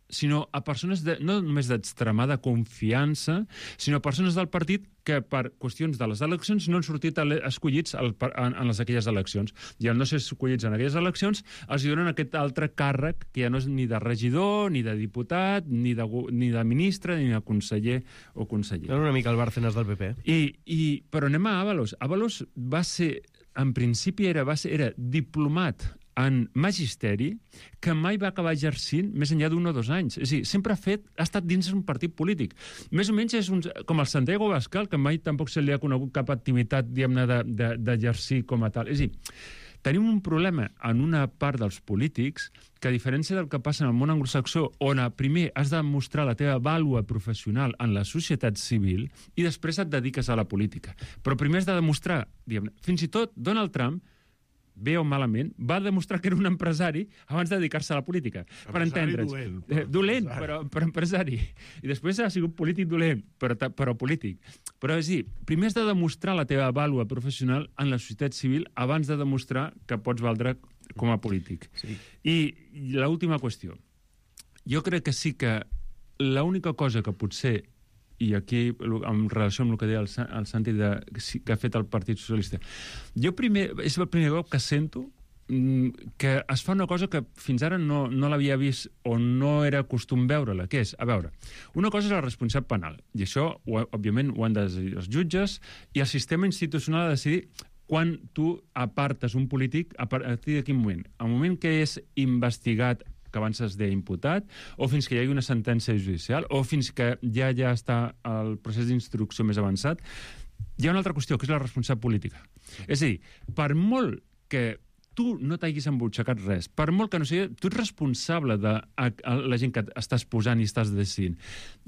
sinó a persones no només d'extremada confiança, sinó a persones del partit que per qüestions de les eleccions no han sortit escollits en aquelles eleccions. I al no ser escollits en aquelles eleccions, els donen aquest altre càrrec que ja no és ni de regidor, ni de diputat, ni de ministre, ni de conseller o conseller. Era una mica el Bárcenas del PP. Però anem a Ábalos. Ábalos va ser, en principi era diplomat en magisteri, que mai va acabar exercint més enllà d'1 o 2 anys. És a dir, sempre ha estat dins un partit polític. Més o menys és com el Santiago Abascal, que mai tampoc se li ha conegut cap activitat, diguem-ne, d'exercir com a tal. És a dir, tenim un problema en una part dels polítics que, a diferència del que passa en el món anglosaxó, on primer has de mostrar la teva vàlua professional en la societat civil i després et dediques a la política. Però primer has de demostrar, diguem-ne, fins i tot Donald Trump, bé o malament, va demostrar que era un empresari abans de dedicar-se a la política. Per entendre'ns. Dolent, però empresari. I després ha sigut polític dolent, però polític. Però és a dir, primer has de demostrar la teva vàlua professional en la societat civil abans de demostrar que pots valdre com a polític. Sí. I l'última qüestió. Jo crec que sí que l'única cosa que potser, i aquí en relació amb el que deia el Santi que ha fet el Partit Socialista, és el primer cop que sento que es fa una cosa que fins ara no l'havia vist o no era costum veure-la, que és, a veure, una cosa és la responsabilitat penal, i això, òbviament, ho han de decidir els jutges, i el sistema institucional ha de decidir quan tu apartes un polític a partir de quin moment. Al moment que és investigat, que abans es deia imputat, o fins que hi hagi una sentència judicial, o fins que ja està el procés d'instrucció més avançat. Hi ha una altra qüestió, que és la responsabilitat política. És a dir, per molt que tu no t'hagis embutxacat res, per molt que no sigui, tu ets responsable de la gent que estàs posant i estàs decidint.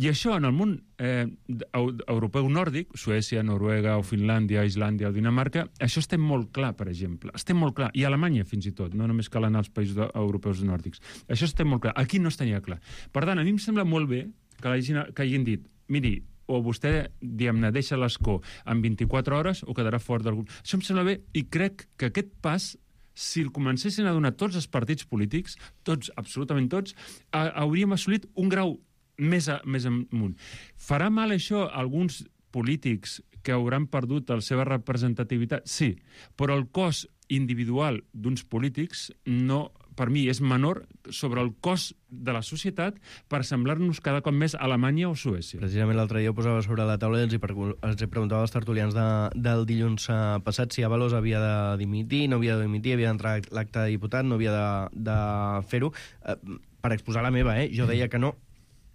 I això en el món europeu nòrdic, Suècia, Noruega, o Finlàndia, Islàndia o Dinamarca, això estem molt clar, per exemple. Estem molt clar. I a Alemanya, fins i tot. No només cal anar als països europeus nòrdics. Això estem molt clar. Aquí no es tenia clar. Per tant, a mi em sembla molt bé que hagin dit, miri, o vostè, diguem-ne, deixa l'escó en 24 hores o quedarà fora del grup. Això em sembla bé i crec que aquest pas, si el comencessin a donar tots els partits polítics, tots, absolutament tots, hauríem assolit un grau més amunt. Farà mal això a alguns polítics que hauran perdut la seva representativitat? Sí, però el cost individual d'uns polítics no, per mi, és menor sobre el cost de la societat per semblar-nos cada cop més a Alemanya o Suècia. Precisament l'altre dia ho posava sobre la taula i els preguntava als tertulians del dilluns passat si Ábalos havia de dimitir, no havia de dimitir, havia d'entrar a l'acte de diputat, no havia de fer-ho. Per exposar la meva, jo deia que no.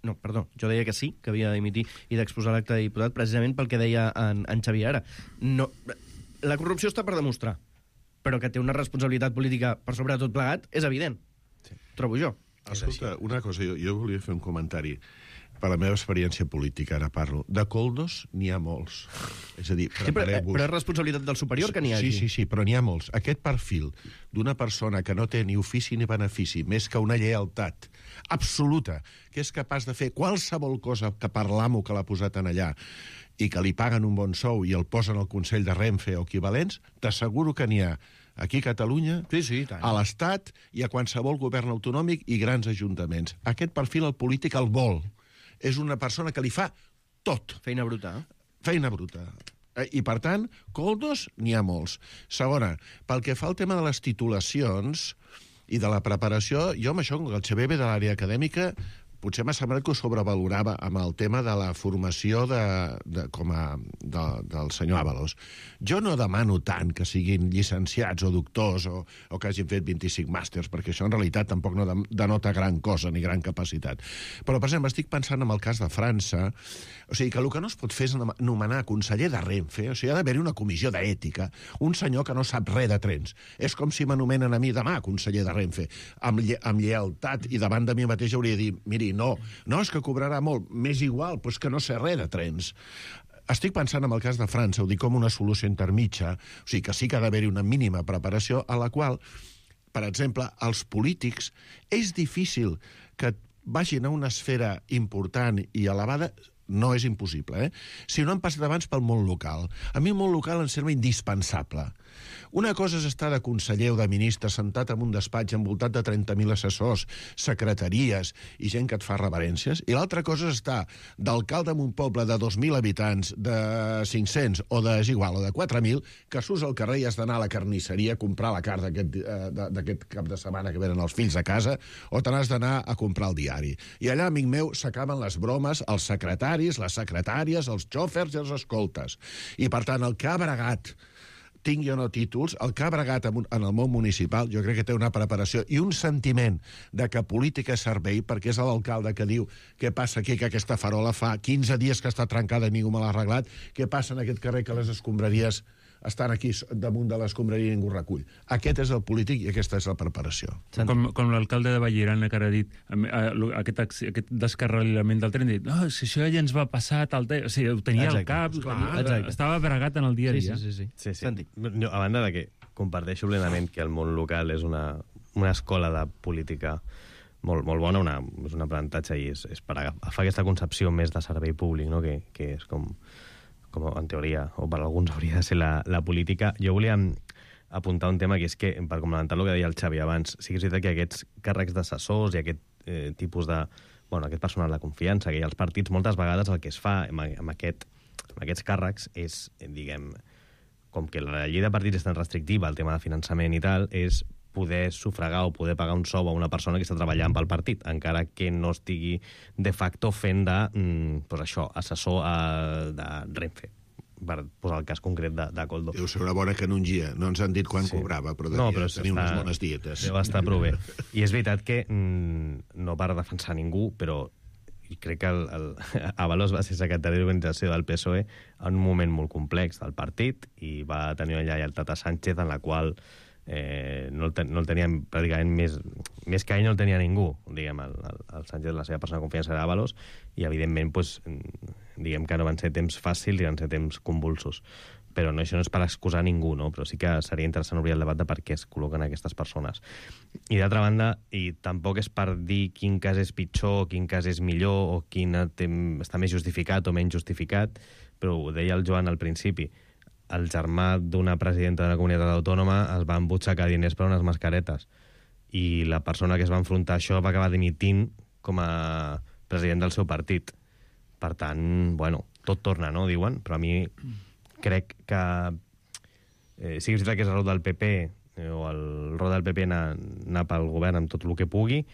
No, perdó, jo deia que sí, que havia de dimitir i d'exposar l'acte de diputat, precisament pel que deia en Xavier ara. No, la corrupció està per demostrar, però que té una responsabilitat política per sobre de tot plegat, és evident. Sí. Trobo jo. Escolta, una cosa, jo volia fer un comentari. Per la meva experiència política, ara parlo. De coldos n'hi ha molts. És a dir, prepareu-vos. Però és responsabilitat del superior que n'hi hagi. Sí, però n'hi ha molts. Aquest perfil d'una persona que no té ni ofici ni benefici, més que una lleialtat absoluta, que és capaç de fer qualsevol cosa que per l'amo que l'ha posat en allà i que li paguen un bon sou i el posen al Consell de Renfe o equivalents, t'asseguro que n'hi ha aquí a Catalunya, sí, tant, a l'Estat i a qualsevol govern autonòmic i grans ajuntaments. Aquest perfil el polític el vol. És una persona que li fa tot. Feina bruta. Feina bruta. I, per tant, coldos n'hi ha molts. Segona, pel que fa al tema de les titulacions i de la preparació, jo amb això, el Xavier ve de l'àrea acadèmica, potser m'ha semblat que ho sobrevalorava amb el tema de la formació del senyor Ábalos. Jo no demano tant que siguin llicenciats o doctors o que hagin fet 25 màsters, perquè això en realitat tampoc no denota gran cosa ni gran capacitat. Però, per exemple, estic pensant en el cas de França, o sigui que el que no es pot fer és nomenar conseller de Renfe, o sigui, ha d'haver-hi una comissió d'ètica, un senyor que no sap res de trens. És com si m'anomenen a mi demà conseller de Renfe, amb lleialtat, i davant de mi mateix hauria de dir, miri, no, és que cobrarà molt, m'és igual, però és que no sé res de trens. Estic pensant en el cas de França, ho dic com una solució intermitja, o sigui que sí que ha d'haver-hi una mínima preparació a la qual, per exemple, els polítics, és difícil que vagin a una esfera important i elevada, no és impossible, si no han passat abans pel món local. A mi el món local em sembla indispensable. Una cosa és estar de conseller o de ministre sentat en un despatx envoltat de 30.000 assessors, secretaries i gent que et fa reverències, i l'altra cosa és estar d'alcalde en un poble de 2.000 habitants, de 500 o és igual, o de 4.000, que surts al carrer i has d'anar a la carnisseria a comprar la carn d'aquest cap de setmana que venen els fills a casa, o te n'has d'anar a comprar el diari. I allà, amic meu, s'acaben les bromes, els secretaris, les secretàries, els xòfers i els escoltes. I, per tant, el que ha bregat, tingui o no títols, el que ha bregat en el món municipal, jo crec que té una preparació i un sentiment de que política és servei, perquè és l'alcalde que diu què passa aquí, que aquesta farola fa 15 dies que està trencada i ningú me l'ha arreglat, què passa en aquest carrer que les escombraries estan aquí damunt de l'escombraria i ningú recull. Aquest és el polític i aquesta és la preparació. Com l'alcalde de Vallirana, que ara ha dit aquest descarrilament del tren, ha dit, si això ja ens va passar, o sigui, ho tenia al cap, estava bregat en el dia a dia. Sí. A banda de que comparteixo plenament que el món local és una escola de política molt bona, és un aprenentatge i és per agafar aquesta concepció més de servei públic, no? Que és com en teoria, o per alguns hauria de ser la política. Jo volia apuntar un tema que és que, per complementar el que deia el Xavi abans, sí que és veritat que aquests càrrecs d'assessors i aquest tipus de... aquest personal de confiança que hi ha als partits, moltes vegades el que es fa amb aquests càrrecs és, diguem, com que la llei de partits és tan restrictiva, el tema de finançament i tal, és poder sufragar o poder pagar un sou a una persona que està treballant pel partit, encara que no estigui de facto fent assessor de Renfe, per posar el cas concret de Coldo. Deu ser una bona canongia. No ens han dit quan cobrava, però tenir unes bones dietes. Deu estar prou bé. I és veritat que, no per defensar ningú, però crec que Ábalos va ser secretari d'organització del PSOE en un moment molt complex del partit i va tenir una lleialtat a Sánchez en la qual no el tenien pràcticament més que ell no el tenia ningú, diguem, el Sánchez, la seva persona de confiança era Ábalos, i evidentment diguem que no van ser temps fàcils i van ser temps convulsos, però això no és per excusar ningú, no? Però sí que seria interessant obrir el debat de per què es col·loquen aquestes persones. I d'altra banda, i tampoc és per dir quin cas és pitjor, quin cas és millor o quin està més justificat o menys justificat, però ho deia el Joan al principi, el germà d'una presidenta d'una comunitat autònoma es va embutxacar diners per unes mascaretes i la persona que es va enfrontar a això va acabar dimitint com a president del seu partit. Per tant, tot torna, no?, diuen, però a mi crec que sí que és veritat que és el rol del PP o el rol del PP anar pel govern amb tot el que pugui,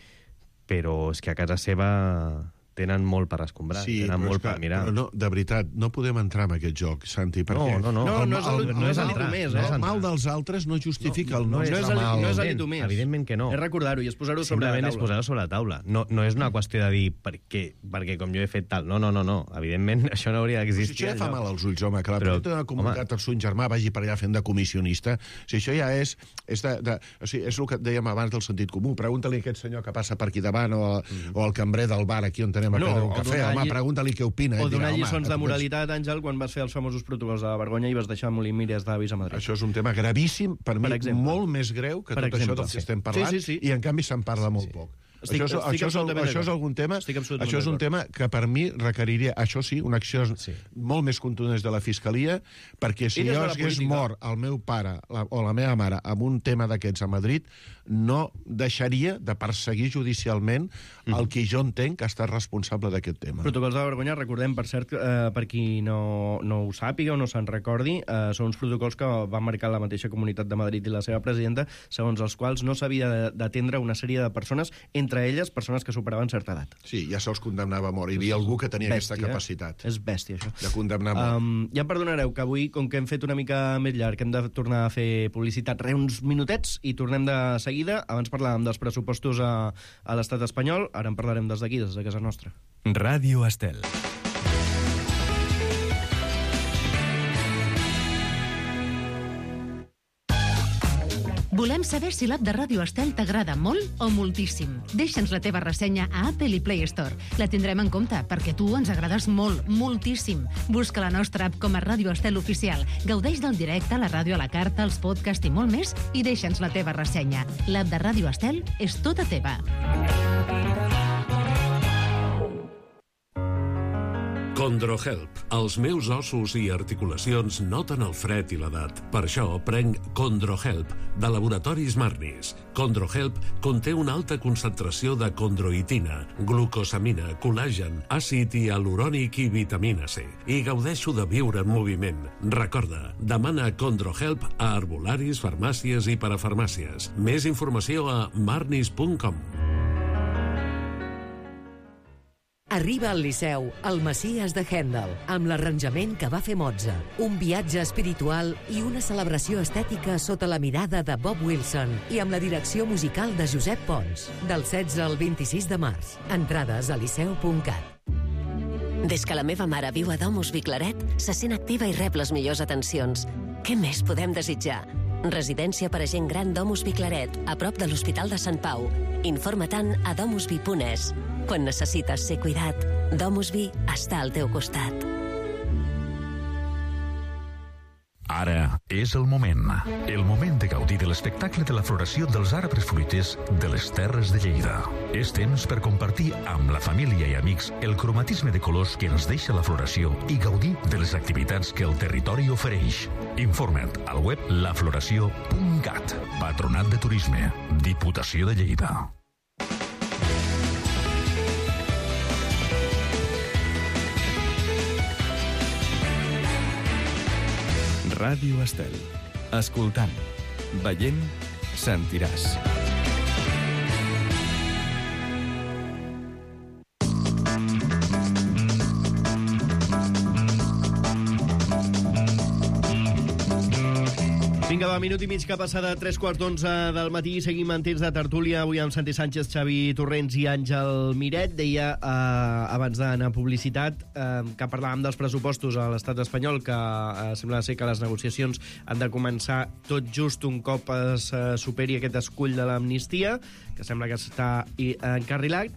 però és que a casa seva tenen molt per escombrar, tenen molt per mirar. Però no, de veritat, no podem entrar en aquest joc, Santi, perquè... No és entrar. El mal dels altres no justifica el nostre mal. No és el tu més. Evidentment que no. És recordar-ho i és posar-ho sobre la taula. Simplement és posar-ho sobre la taula. No és una qüestió de dir perquè com jo he fet tal. No. Evidentment, això no hauria d'existir. Si això ja fa mal als ulls, home, que la presidenta d'una comunitat, el seu germà, vagi per allà fent de comissionista. Si això ja és el que dèiem abans del sentit comú. Pregunta-li a aquest senyor que passa per aquí davant o al cambrer del bar aquí on tenim a prendre un cafè, home, pregunta-li què opina. O donar lliçons de moralitat, Àngel, quan vas fer els famosos protocols de vergonya i vas deixar morir milers d'avis a Madrid. Això és un tema gravíssim, per mi molt més greu que tot això del que estem parlant, i en canvi se'n parla molt poc. Això és algun tema, això és un tema que per mi requeriria, això sí, una acció molt més contundent de la Fiscalia, perquè si jo hagués mort el meu pare o la meva mare amb un tema d'aquests a Madrid, no deixaria de perseguir judicialment el que jo entenc que ha estat responsable d'aquest tema. Protocols de vergonya, recordem, per cert, per qui no ho sàpiga o no se'n recordi, són uns protocols que van marcar la mateixa Comunitat de Madrid i la seva presidenta, segons els quals no s'havia d'atendre una sèrie de persones, entre elles persones que superaven certa edat. Sí, ja se'ls condemnava a mort. Hi havia algú que tenia aquesta capacitat. És bèstia, això. De condemnar a mort. Ja em perdonareu que avui, com que hem fet una mica més llarg, hem de tornar a fer publicitat uns minutets i tornem de seguida. Abans parlàvem dels pressupostos a l'estat espanyol, ara en parlarem des d'aquí, des de casa nostra. Ràdio Estel. Volem saber si l'app de Ràdio Estel t'agrada molt o moltíssim. Deixa'ns la teva ressenya a Apple i Play Store. La tindrem en compte, perquè tu ens agrades molt, moltíssim. Busca la nostra app com a Ràdio Estel Oficial. Gaudeix del directe, la ràdio a la carta, els podcasts i molt més, i deixa'ns la teva ressenya. L'app de Ràdio Estel és tota teva. CondroHelp. Els meus ossos i articulacions noten el fred i l'edat. Per això prenc CondroHelp, de Laboratoris Marnis. CondroHelp conté una alta concentració de condroitina, glucosamina, col·làgen, àcid hialurònic i vitamina C. I gaudeixo de viure en moviment. Recorda, demana CondroHelp a herbolaris, farmàcies i parafarmàcies. Més informació a marnis.com. Arriba al Liceu, el Messies de Händel, amb l'arranjament que va fer Mozart, un viatge espiritual i una celebració estètica sota la mirada de Bob Wilson i amb la direcció musical de Josep Pons, del 16 al 26 de març. Entrades a liceu.cat. Des que la meva mare viu a Domus Viclaret, se sent activa i rep les millors atencions. Què més podem desitjar? Residència per a gent gran Domus Viclaret, a prop de l'Hospital de Sant Pau. Informa-te'n a domusvi.es. Quan necessites ser cuidat, Domusvi està al teu costat. Ara és el moment de gaudir de l'espectacle de la floració dels arbres fruiters de les Terres de Lleida. És temps per compartir amb la família i amics el cromatisme de colors que ens deixa la floració i gaudir de les activitats que el territori ofereix. Informa't al web lafloració.cat. Patronat de Turisme, Diputació de Lleida. Ràdio Estel. Escoltant, veient, sentiràs. Vinga, va, minut i mig que passa de 3:15 del matí. Seguim en temps de tertúlia, avui amb Santi Sánchez, Xavi Torrents i Àngel Miret. Deia, abans d'anar a publicitat, que parlàvem dels pressupostos a l'estat espanyol, que sembla ser que les negociacions han de començar tot just un cop es superi aquest escull de l'amnistia, que sembla que està encarrilat.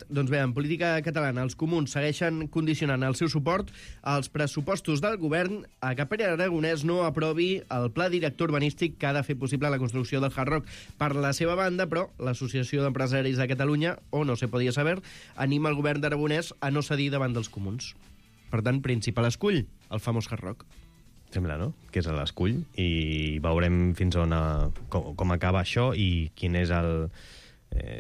Doncs bé, en política catalana, els comuns segueixen condicionant el seu suport als pressupostos del govern a que Pere Aragonès no aprovi el pla director urbanístic que ha de fer possible la construcció del Hard Rock. Per la seva banda, però, l'Associació d'Empresaris de Catalunya, o no se podia saber, anima el govern d'Aragonès a no cedir davant dels comuns. Per tant, principal escull, el famós Hard Rock. Sembla, no?, que és l'escull, i veurem fins on com acaba això i quin és el...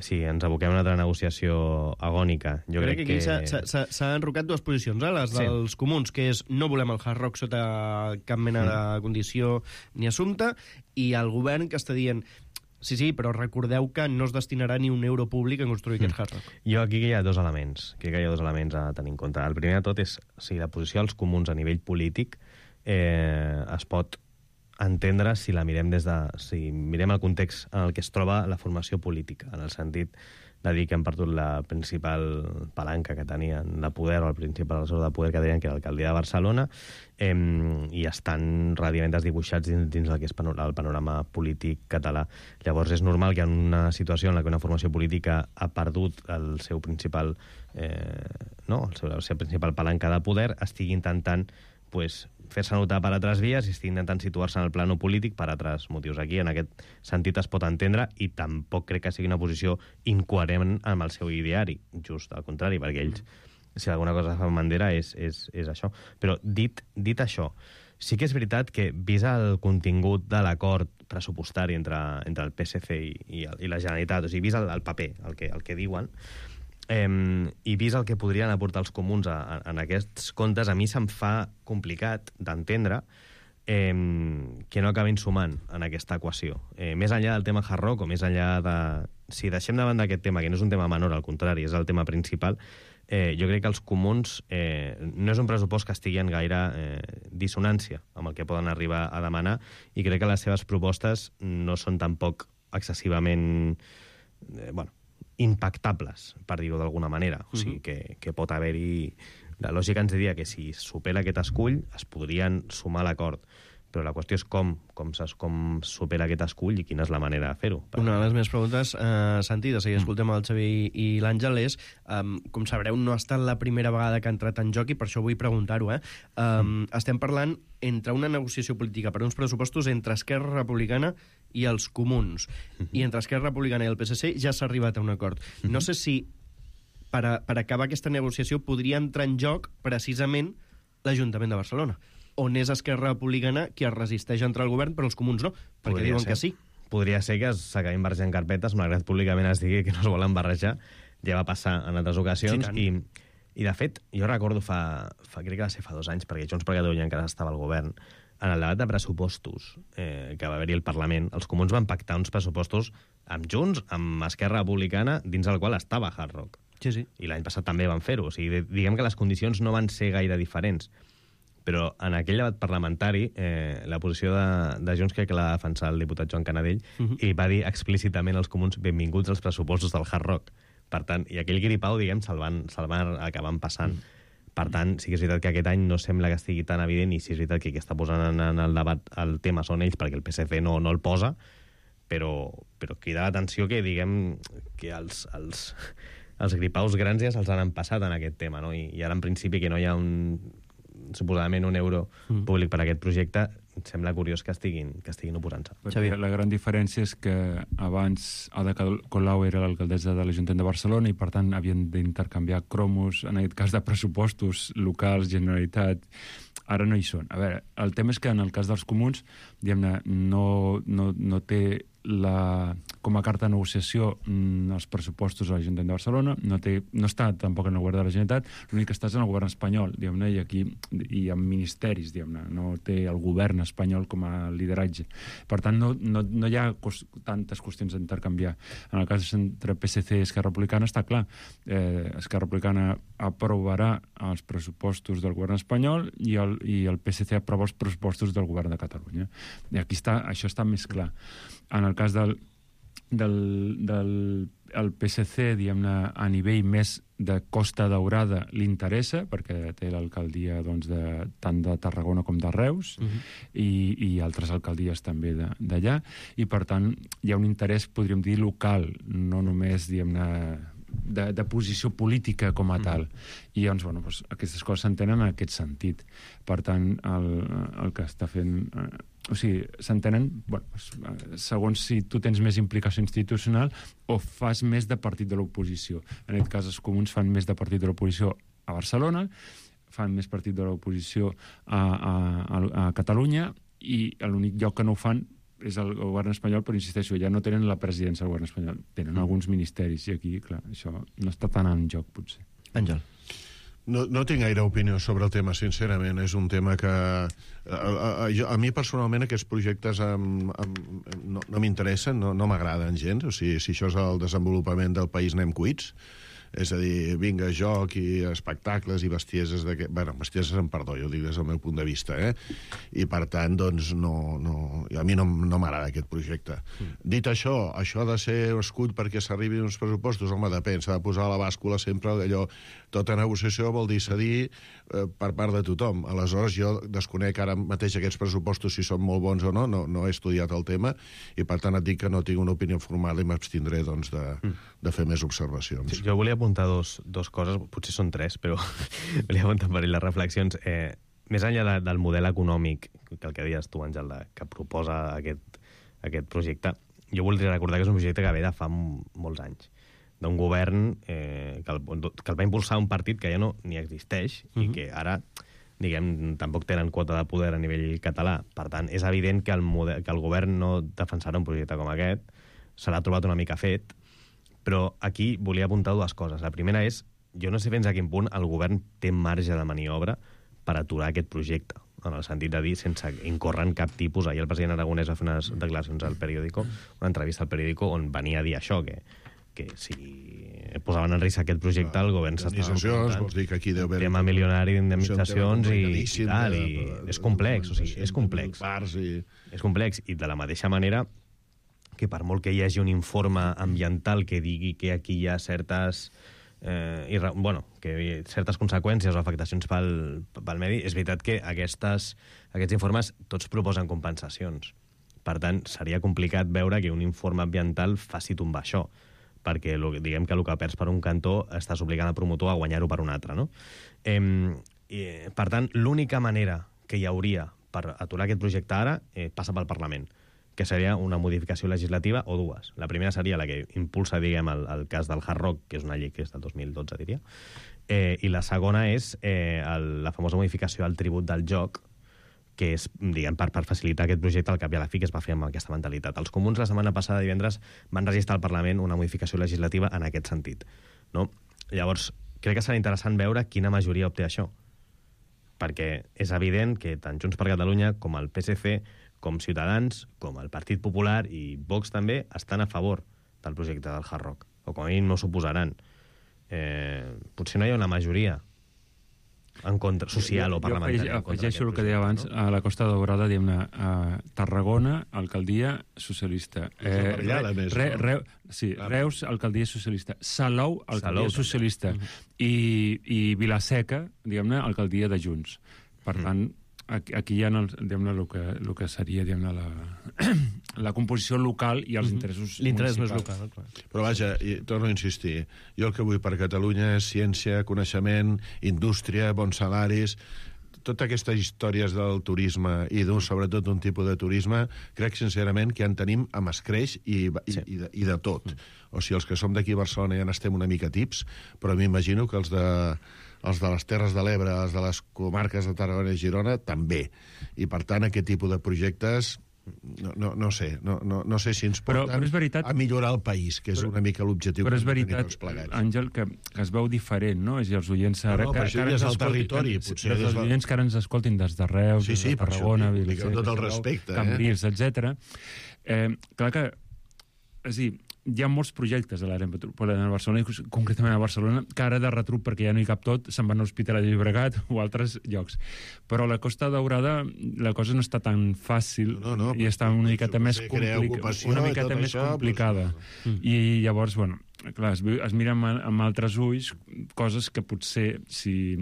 si ens aboquem a una altra negociació agònica. Jo crec que aquí s'han enrocat dues posicions, les dels comuns, que és no volem el Hard Rock sota cap mena de condició ni assumpte, i el govern que està dient sí, però recordeu que no es destinarà ni un euro públic a construir aquest Hard Rock. Jo aquí hi ha dos elements, a tenir en compte. El primer de tot és si la posició dels comuns a nivell polític es pot entendre si mirem el context en el que es troba la formació política, en el sentit de dir que han perdut la principal palanca que tenien de poder, o el principal resort de poder que tenien, que era l'alcaldia de Barcelona, i estan ràdiament desdibuixats dins del que és el panorama polític català. Llavors és normal que en una situació en la que una formació política ha perdut el seu principal la seva principal palanca de poder, estigui intentant fer-se notar per altres vies i estigui intentant situar-se en el plano polític per altres motius. Aquí, en aquest sentit, es pot entendre, i tampoc crec que sigui una posició incoherent amb el seu ideari, just al contrari, perquè ells, si alguna cosa fan bandera, és això. Però dit això, sí que és veritat que, vist el contingut de l'acord pressupostari entre el PSC i la Generalitat, o sigui, vist el paper, el que diuen, i vist el que podrien aportar els comuns en aquests comptes, a mi se'm fa complicat d'entendre que no acabin sumant en aquesta equació. Més enllà del tema Hard Rock, o més enllà de... Si deixem de banda aquest tema, que no és un tema menor, al contrari, és el tema principal, jo crec que els comuns no és un pressupost que estigui en gaire dissonància amb el que poden arribar a demanar, i crec que les seves propostes no són tampoc excessivament impactables, per dir-ho d'alguna manera. O sigui, que pot haver-hi... La lògica ens diria que si supera aquest escull es podrien sumar a l'acord, però la qüestió és com supera aquest escull i quina és la manera de fer-ho. Una de les meves preguntes, Santi, de seguir escoltem el Xavi i l'Àngel, és, com sabreu, no ha estat la primera vegada que ha entrat en joc i per això vull preguntar-ho. Estem parlant entre una negociació política per uns pressupostos entre Esquerra Republicana i els Comuns. I entre Esquerra Republicana i el PSC ja s'ha arribat a un acord. No sé si per acabar aquesta negociació podria entrar en joc precisament l'Ajuntament de Barcelona, on és Esquerra Republicana qui es resisteix a entrar al govern, però els Comuns no, perquè diuen que sí. Podria ser que s'acabin barrejant carpetes, malgrat públicament es digui que no es volen barrejar. Ja va passar en altres ocasions. Sí, i de fet, jo recordo crec que va ser fa 2 anys, perquè Junts per Catalunya encara estava al govern, en el debat de pressupostos que va haver-hi al Parlament, els Comuns van pactar uns pressupostos amb Junts, amb Esquerra Republicana, dins del qual estava Hard Rock. Sí. I l'any passat també van fer-ho. O sigui, diguem que les condicions no van ser gaire diferents. Però en aquell debat parlamentari, la posició de Junts crec que la va defensar el diputat Joan Canadell i va dir explícitament als Comuns benvinguts als pressupostos del Hard Rock. Per tant, i aquell gripau, diguem, se'l van acabar passant. Per tant, sí que és veritat que aquest any no sembla que estigui tan evident i sí que és veritat que qui està posant en el debat el tema són ells perquè el PSC no el posa, però crida l'atenció que, diguem, que els gripaus grans ja se'ls han passat en aquest tema, no? I ara, en principi, que no hi ha suposadament un euro públic per a aquest projecte, em sembla curiós que estiguin oposant-se. La gran diferència és que abans Ada Colau era l'alcaldessa de l'Ajuntament de Barcelona i, per tant, havien d'intercanviar cromos, en aquest cas de pressupostos locals, Generalitat. Ara no hi són. A veure, el tema és que en el cas dels Comuns, diguem-ne, no té com a carta de negociació els pressupostos de l'Ajuntament de Barcelona, no està tampoc en el govern de la Generalitat, l'únic que està és en el govern espanyol, diguem-ne, i aquí hi ha ministeris, diguem-ne, no té el govern espanyol com a lideratge. Per tant, no hi ha tantes qüestions d'intercanviar. En el cas entre PSC i Esquerra Republicana està clar. Esquerra Republicana aprovarà els pressupostos del govern espanyol i el PSC aprova els pressupostos del govern de Catalunya. I aquí això està més clar. En el cas del PSC, diguem-ne, a nivell més de Costa Daurada li interessa, perquè té l'alcaldia tant de Tarragona com de Reus, i altres alcaldies també d'allà, i per tant hi ha un interès, podríem dir, local, no només, diguem-ne, de posició política com a tal. I llavors, bueno, doncs, aquestes coses s'entenen en aquest sentit. Per tant, el que està fent... O sigui, s'entenen, bueno, segons si tu tens més implicació institucional o fas més de partit de l'oposició. En aquest cas, els Comuns fan més de partit de l'oposició a Barcelona, fan més partit de l'oposició a Catalunya, i l'únic lloc que no ho fan és el govern espanyol, però insisteixo, ja no tenen la presidència del govern espanyol, tenen alguns ministeris, i aquí, clar, això no està tan en joc, potser. Àngel. No tinc gaire opinió sobre el tema, sincerament. És un tema que... A mi, personalment, aquests projectes no m'interessen, no m'agraden gens. O sigui, si això és el desenvolupament del país, anem cuits. És a dir, vinga, joc i espectacles i bestieses d'aquest... Bueno, bestieses en perdó, jo ho dic des del meu punt de vista, I, per tant, doncs, a mi no m'agrada aquest projecte. Dit això de ser escut perquè s'arribin uns pressupostos, home, depèn, s'ha de posar a la bàscula sempre allò... Tota negociació vol dir cedir per part de tothom. Aleshores, jo desconec ara mateix aquests pressupostos si són molt bons o no he estudiat el tema, i per tant et dic que no tinc una opinió formada i m'abstindré, doncs, de fer més observacions. Sí, jo volia apuntar dos coses, potser són 3, però volia apuntar per les reflexions. Més enllà del model econòmic, que el que deies tu, Àngel, que proposa aquest projecte, jo voldria recordar que és un projecte que ve de fa molts anys, d'un govern que el va impulsar un partit que ja no ni existeix i que ara, diguem, tampoc tenen quota de poder a nivell català. Per tant, és evident que el govern no defensarà un projecte com aquest, se l'ha trobat una mica fet, però aquí volia apuntar 2 coses. La primera és, jo no sé fins a quin punt el govern té marge de maniobra per aturar aquest projecte, en el sentit de dir, sense incórrer en cap tipus. Ahir el president Aragonès va fer unes declaracions al periòdico, una entrevista al periòdico, on venia a dir això, que si posaven en risc aquest projecte, el govern s'estava enfrontant. Tema milionari d'indemnitzacions i tal, i és complex, o sigui, és complex. És complex, i de la mateixa manera que per molt que hi hagi un informe ambiental que digui que aquí hi ha certes que certes conseqüències o afectacions pel medi, és veritat que aquests informes tots proposen compensacions. Per tant, seria complicat veure que un informe ambiental faci tombar això, perquè diguem que el que perds per un cantó estàs obligant el promotor a guanyar-ho per un altre, no? Per tant, l'única manera que hi hauria per aturar aquest projecte ara passa pel Parlament, que seria una modificació legislativa o dues. La primera seria la que impulsa, diguem, el cas del Hard Rock, que és una llei que és del 2012, diria, i la segona és la famosa modificació al tribut del joc, que és, diguem, per facilitar aquest projecte, al cap i a la fi que es va fer amb aquesta mentalitat. Els comuns la setmana passada, divendres, van registrar al Parlament una modificació legislativa en aquest sentit, no? Llavors, crec que serà interessant veure quina majoria obté això, perquè és evident que tant Junts per Catalunya com el PSC, com Ciutadans, com el Partit Popular i Vox també estan a favor del projecte del Hard Rock, o com a mínim no s'oposaran. Potser no hi ha una majoria en contra, social o parlamentària. Afegeixo el que deia abans, a la Costa Daurada, diguem-ne, a Tarragona, alcaldia socialista. Reus, alcaldia socialista. Salou, alcaldia socialista. I Vilaseca, diguem-ne, alcaldia de Junts. Per tant, aquí hi ha el que seria la composició local i els interessos l'interès més municipals. local, clar. Però vaja, torno a insistir, jo el que vull per Catalunya és ciència, coneixement, indústria, bons salaris. Totes aquestes històries del turisme i sobretot d'un tipus de turisme, crec sincerament que ja en tenim amb escreix i de tot. O sigui, els que som d'aquí a Barcelona ja n'estem una mica tips, però m'imagino que els de les Terres de l'Ebre, els de les comarques de Tarragona i Girona, també. I, per tant, aquest tipus de projectes, no sé si ens porten a millorar el país, que és una mica l'objectiu que tenim tots plegats. Però és veritat, Àngel, que es veu diferent, no? És a dir, els oients ara... per això ja és el territori, potser. Els oients que ara ens escoltin des de Reus, des de Tarragona, Cambrils, etc. Clar que... És a dir, hi ha molts projectes a l'àrea metropolitana de Barcelona, i concretament a Barcelona, que ara de retruc, perquè ja no hi cap tot, se'n van a l'Hospitalet de Llobregat o altres llocs. Però a la Costa Daurada la cosa no està tan fàcil i està una miqueta més complicada. I llavors, bueno, clar, es mira amb altres ulls coses que potser, si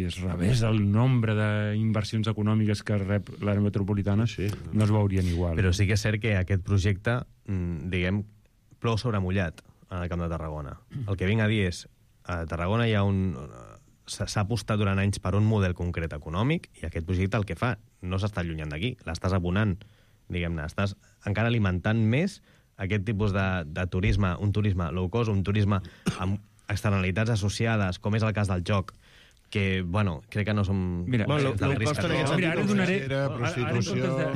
es rebés el nombre d'inversions econòmiques que rep l'àrea metropolitana, no es veurien igual. Però sí que és cert que aquest projecte, diguem, plou sobre mullat en el Camp de Tarragona. El que vinc a dir és, a Tarragona hi ha s'ha apostat durant anys per un model concret econòmic, i aquest projecte el que fa no s'està allunyant d'aquí, l'estàs abonant, diguem-ne, estàs encara alimentant més aquest tipus de turisme, un turisme low cost, un turisme amb externalitats associades, com és el cas del joc, que, bueno, crec que no som... Mira, ara donaré...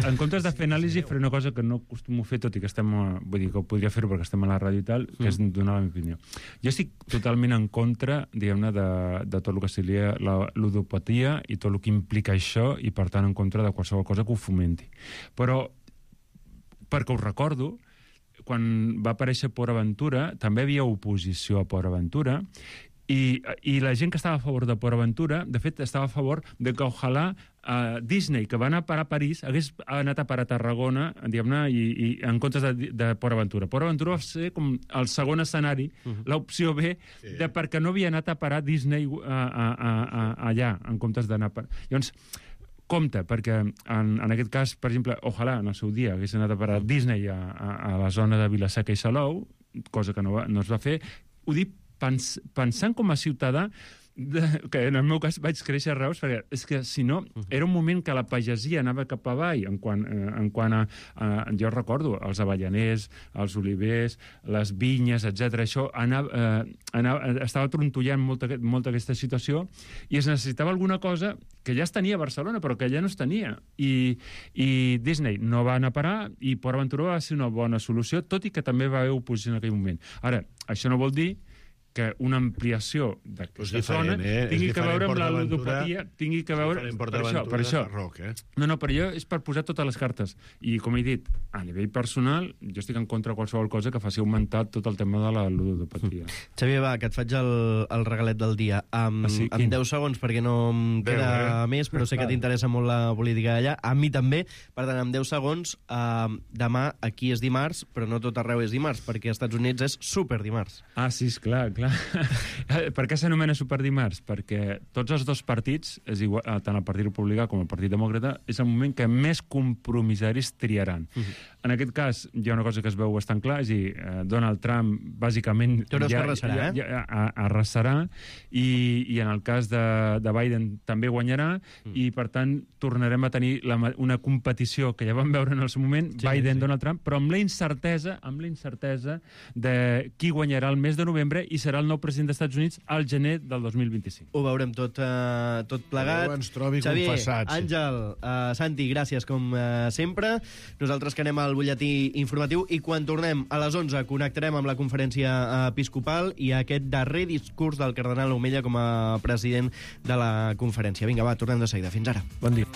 En comptes de fer anàlisi, faré una cosa que no acostumo a fer, tot i que vull dir que ho podria fer perquè estem a la ràdio i tal, que és donar la meva opinió. Jo estic totalment en contra, diguem-ne, de tot el que seria la ludopatia i tot el que implica això, i per tant en contra de qualsevol cosa que ho fomenti. Però, perquè ho recordo, quan va aparèixer Port Aventura, també havia oposició a Port Aventura, i la gent que estava a favor de Port Aventura, de fet, estava a favor de que ojalà Disney, que va anar a parar a París, hagués anat a parar a Tarragona, diguem-ne, i en comptes de Port Aventura. Port Aventura va ser com el segon escenari, l'opció B, perquè no havia anat a parar Disney allà, en comptes d'anar a parar... Llavors, compte, perquè en aquest cas, per exemple, ojalà en el seu dia hagués anat a parar Disney a la zona de Vilaseca i Salou, cosa que no es va fer. Ho dic pensant com a ciutadà, que en el meu cas vaig créixer a Reus, perquè és que si no, era un moment que la pagesia anava cap avall en quant a jo recordo, els avellaners, els olivers, les vinyes, etc. Això estava trontollant molta aquesta situació, i es necessitava alguna cosa que ja es tenia a Barcelona, però que allà no es tenia. I Disney no va anar a parar, i Port Aventura va ser una bona solució, tot i que també va haver oposició en aquell moment. Ara, això no vol dir que una ampliació d'aquesta zona tingui que veure amb la ludopatia, tingui que veure... Per això. No, però jo és per posar totes les cartes. I, com he dit, a nivell personal, jo estic en contra de qualsevol cosa que faci augmentar tot el tema de la ludopatia. Xavier, va, que et faig el regalet del dia. Amb 10 segons, perquè no em queda més, però sé que t'interessa molt la política d'allà. A mi també. Per tant, amb 10 segons, demà aquí és dimarts, però no tot arreu és dimarts, perquè als Estats Units és super dimarts. Ah, sí, és clar. Clar. Per què s'anomena superdimarts? Perquè tots els dos partits, és igual, tant el Partit Republicà com el Partit Demòcrata, és el moment que més compromissaris triaran. En aquest cas, hi ha una cosa que es veu bastant clar, és a dir, Donald Trump, bàsicament... Creus que arrasarà, arrasarà, i en el cas de Biden també guanyarà, i per tant tornarem a tenir una competició que ja vam veure en el seu moment, Biden-Donald Trump, però amb la incertesa de qui guanyarà el mes de novembre i serà el nou president dels Estats Units al gener del 2025. Ho veurem tot plegat. Ens trobi Xavier, confessats. Àngel, Santi, gràcies com sempre. Nosaltres que anem al butlletí informatiu i quan tornem a les 11 connectarem amb la conferència episcopal i aquest darrer discurs del cardenal Omella com a president de la conferència. Vinga, va, tornem de seguida. Fins ara. Bon dia.